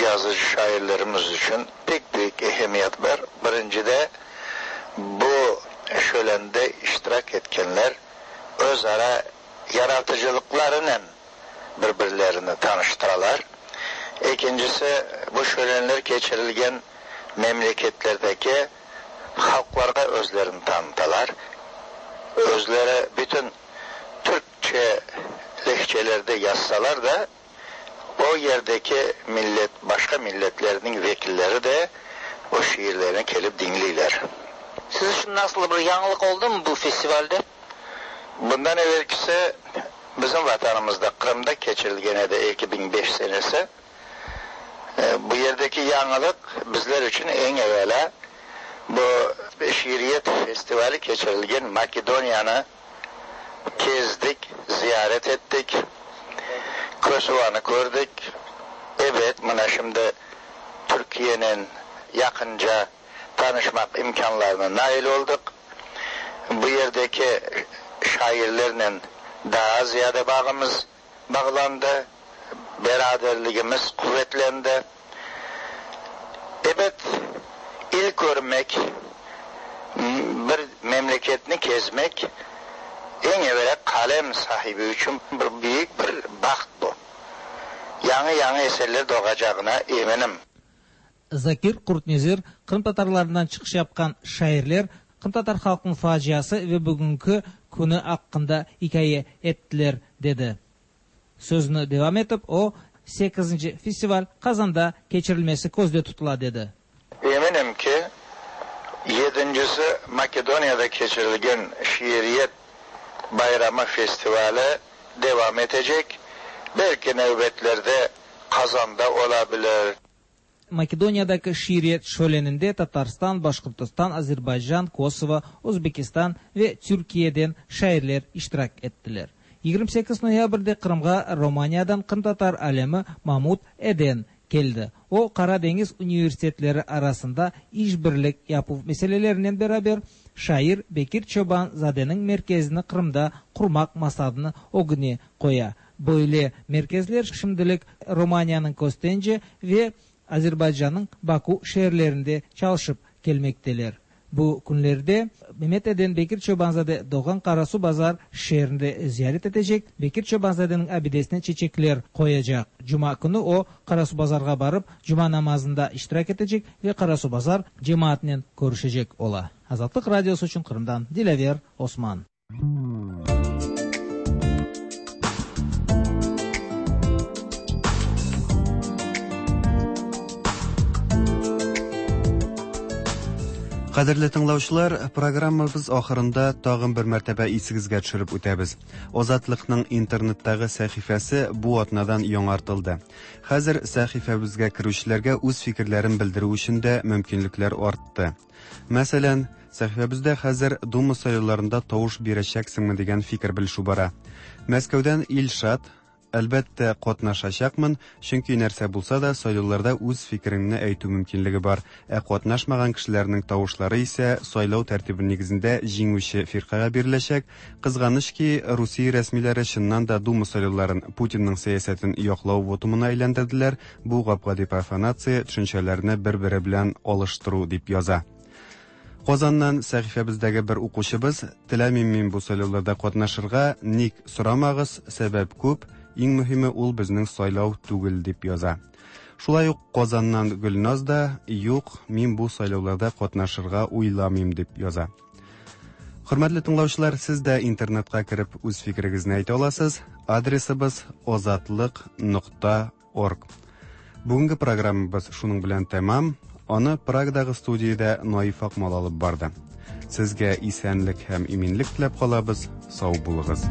[SPEAKER 18] yazıcı-şairlerimiz içün pek büyük ehemmiyet bar. Birincide, bu şölende iştirak etkenler öz ara yaratıcılıqlarınen bir-birlerini tanıştıralar. Ekincisi, bu şölenler keçirilgen memleketlerdeki halqlarğa özlerini tanıtalar. Özleri bütün türkçe lehçelerde yazsalar da, o yerdeki millet, başqa milletlerniñ vekilleri de o şiirlerini kelip diñleyler.
[SPEAKER 19] Siz içün nasıl bir yañılıq oldumı bu festivalde?
[SPEAKER 18] Bundan evelkisi bizim vatanımızda, Qırımda keçirilgen edi eki biñ beş senesi. Bu yerdeki yañılıq bizler içün eñ evelâ bu şiiriyet festivali keçirilgen Makedoniyanı kezdik, ziyaret ettik, Kosovanı kördik. Ebet, mına şimdi Türkiyenen yaqınca tanışmaq imkânlarına nail oldıq. Bu yerdeki şairlernen daa ziyade bağımız bağlandı, beraberligimiz quvetlendi. Ebet, il körmek, bir memleketni kezmek eñ evelâ qalem sahibi içün bir büyük bir baht bu. Yañı-yañı eserler doğacağına eminim.
[SPEAKER 17] Zakir Qurtnezir qırımtatarlarından çıqış yapqan şairler qırımtatar halqınıñ faciası ve bugünki künü aqqında ikâye ettiler, dedi. Sözüni devam etip, o, sekizinci festival Qazanda keçirilmesi közde tutula, dedi.
[SPEAKER 18] Eminim ki, yedincisi Makedoniyada keçirilgen şiiriyet bayramı festivali devam etecek, belki nevbetlerde Qazanda ola bilir.
[SPEAKER 17] Makedoniyadaki şiiriyet şöleninde Tatarstan, Başqırtistan, Azerbaycan, Kosovo, Özbekistan ve Türkiyeden şairler iştirak ettiler. Yigirmi sekiz noyabrde Qırımğa Romaniyadan qırımtatar alimi Mamut Eden keldi. O, Qara deñiz universitetleri arasında işbirlik yapuv meselelerinen beraber şair Bekir Çoban-zadeniñ merkezini Qırımda qurmaq maqsadını ögüne qoya. Böyle merkezler şimdilik Romaniyanıñ Köstence ve Azerbaycannıñ Baku şeerlerinde çalışıp kelmekteler. Bu künlerde Memet Eden Bekir Çoban-zade doğğan Qarasuvbazar şeerinde ziyaret etecek, Bekir Çoban-zadeniñ abidesine çeçekler qoyacaq. Cuma künü o, Qarasuvbazarğa barıp, cuma namazında iştirak etecek ve Qarasuvbazar cemaatınen körüşecek ola. Azatlıq Radiosı içün Qırımdan Dilâver Osman.
[SPEAKER 2] Кадерле тыңлаучылар, программабыз ахырында тагын бер мәртәбә исегезгә төшереп үтәбез. Азатлыкның интернеттагы сәхифәсе бу атнадан яңартылды. Хәзер сәхифәбезгә керүчеләргә үз фикерләрен белдерү өчен дә мөмкинлекләр артты. Мәсәлән, сәхифәбездә хәзер Дума сайлауларында тавыш бирәчәксеңме дигән фикер белешү бара. Мәскәүдән Илшат: Әлбәттә, катнашачакмын, чөнки нәрсә булса да сайлауларда үз фикереңне әйтү мөмкинлеге бар. Ә катнашмаган кешеләрнең тавышлары исә сайлау тәртибе нигезендә җиңүче фиркагә биреләчәк. Кызганыч ки, Русия рәсмиләре чыннан да Дума сайлауларын Путинның сәясәтен яклау вотумына әйләндерделәр. Бу гап-гади профанация, төшенчәләрне бер-бере белән алыштыру дип яза. Казаннан сәхифәбездәге бер укучыбыз: теләмим мин бу сайлауларда катнашырга, ник сорамагыз, сәбәп күп. Иң мөһиме ул безнең сайлау түгел дип яза. Шулай ук Казаннан Гөлназ да юк, мин бу сайлауларда катнашырга уйламыйм дип яза. Хөрмәтле тыңлаучылар, сез дә интернетка кереп үз фикерегезне әйтә аласыз. Адресыбыз озатлык нокта орг. Бүгенге программабыз шуның белән тәмам. Аны Прагадагы студиядә Наиф Акмал алып барды. Сезгә исәнлек һәм иминлек теләп калабыз. Сау булыгыз.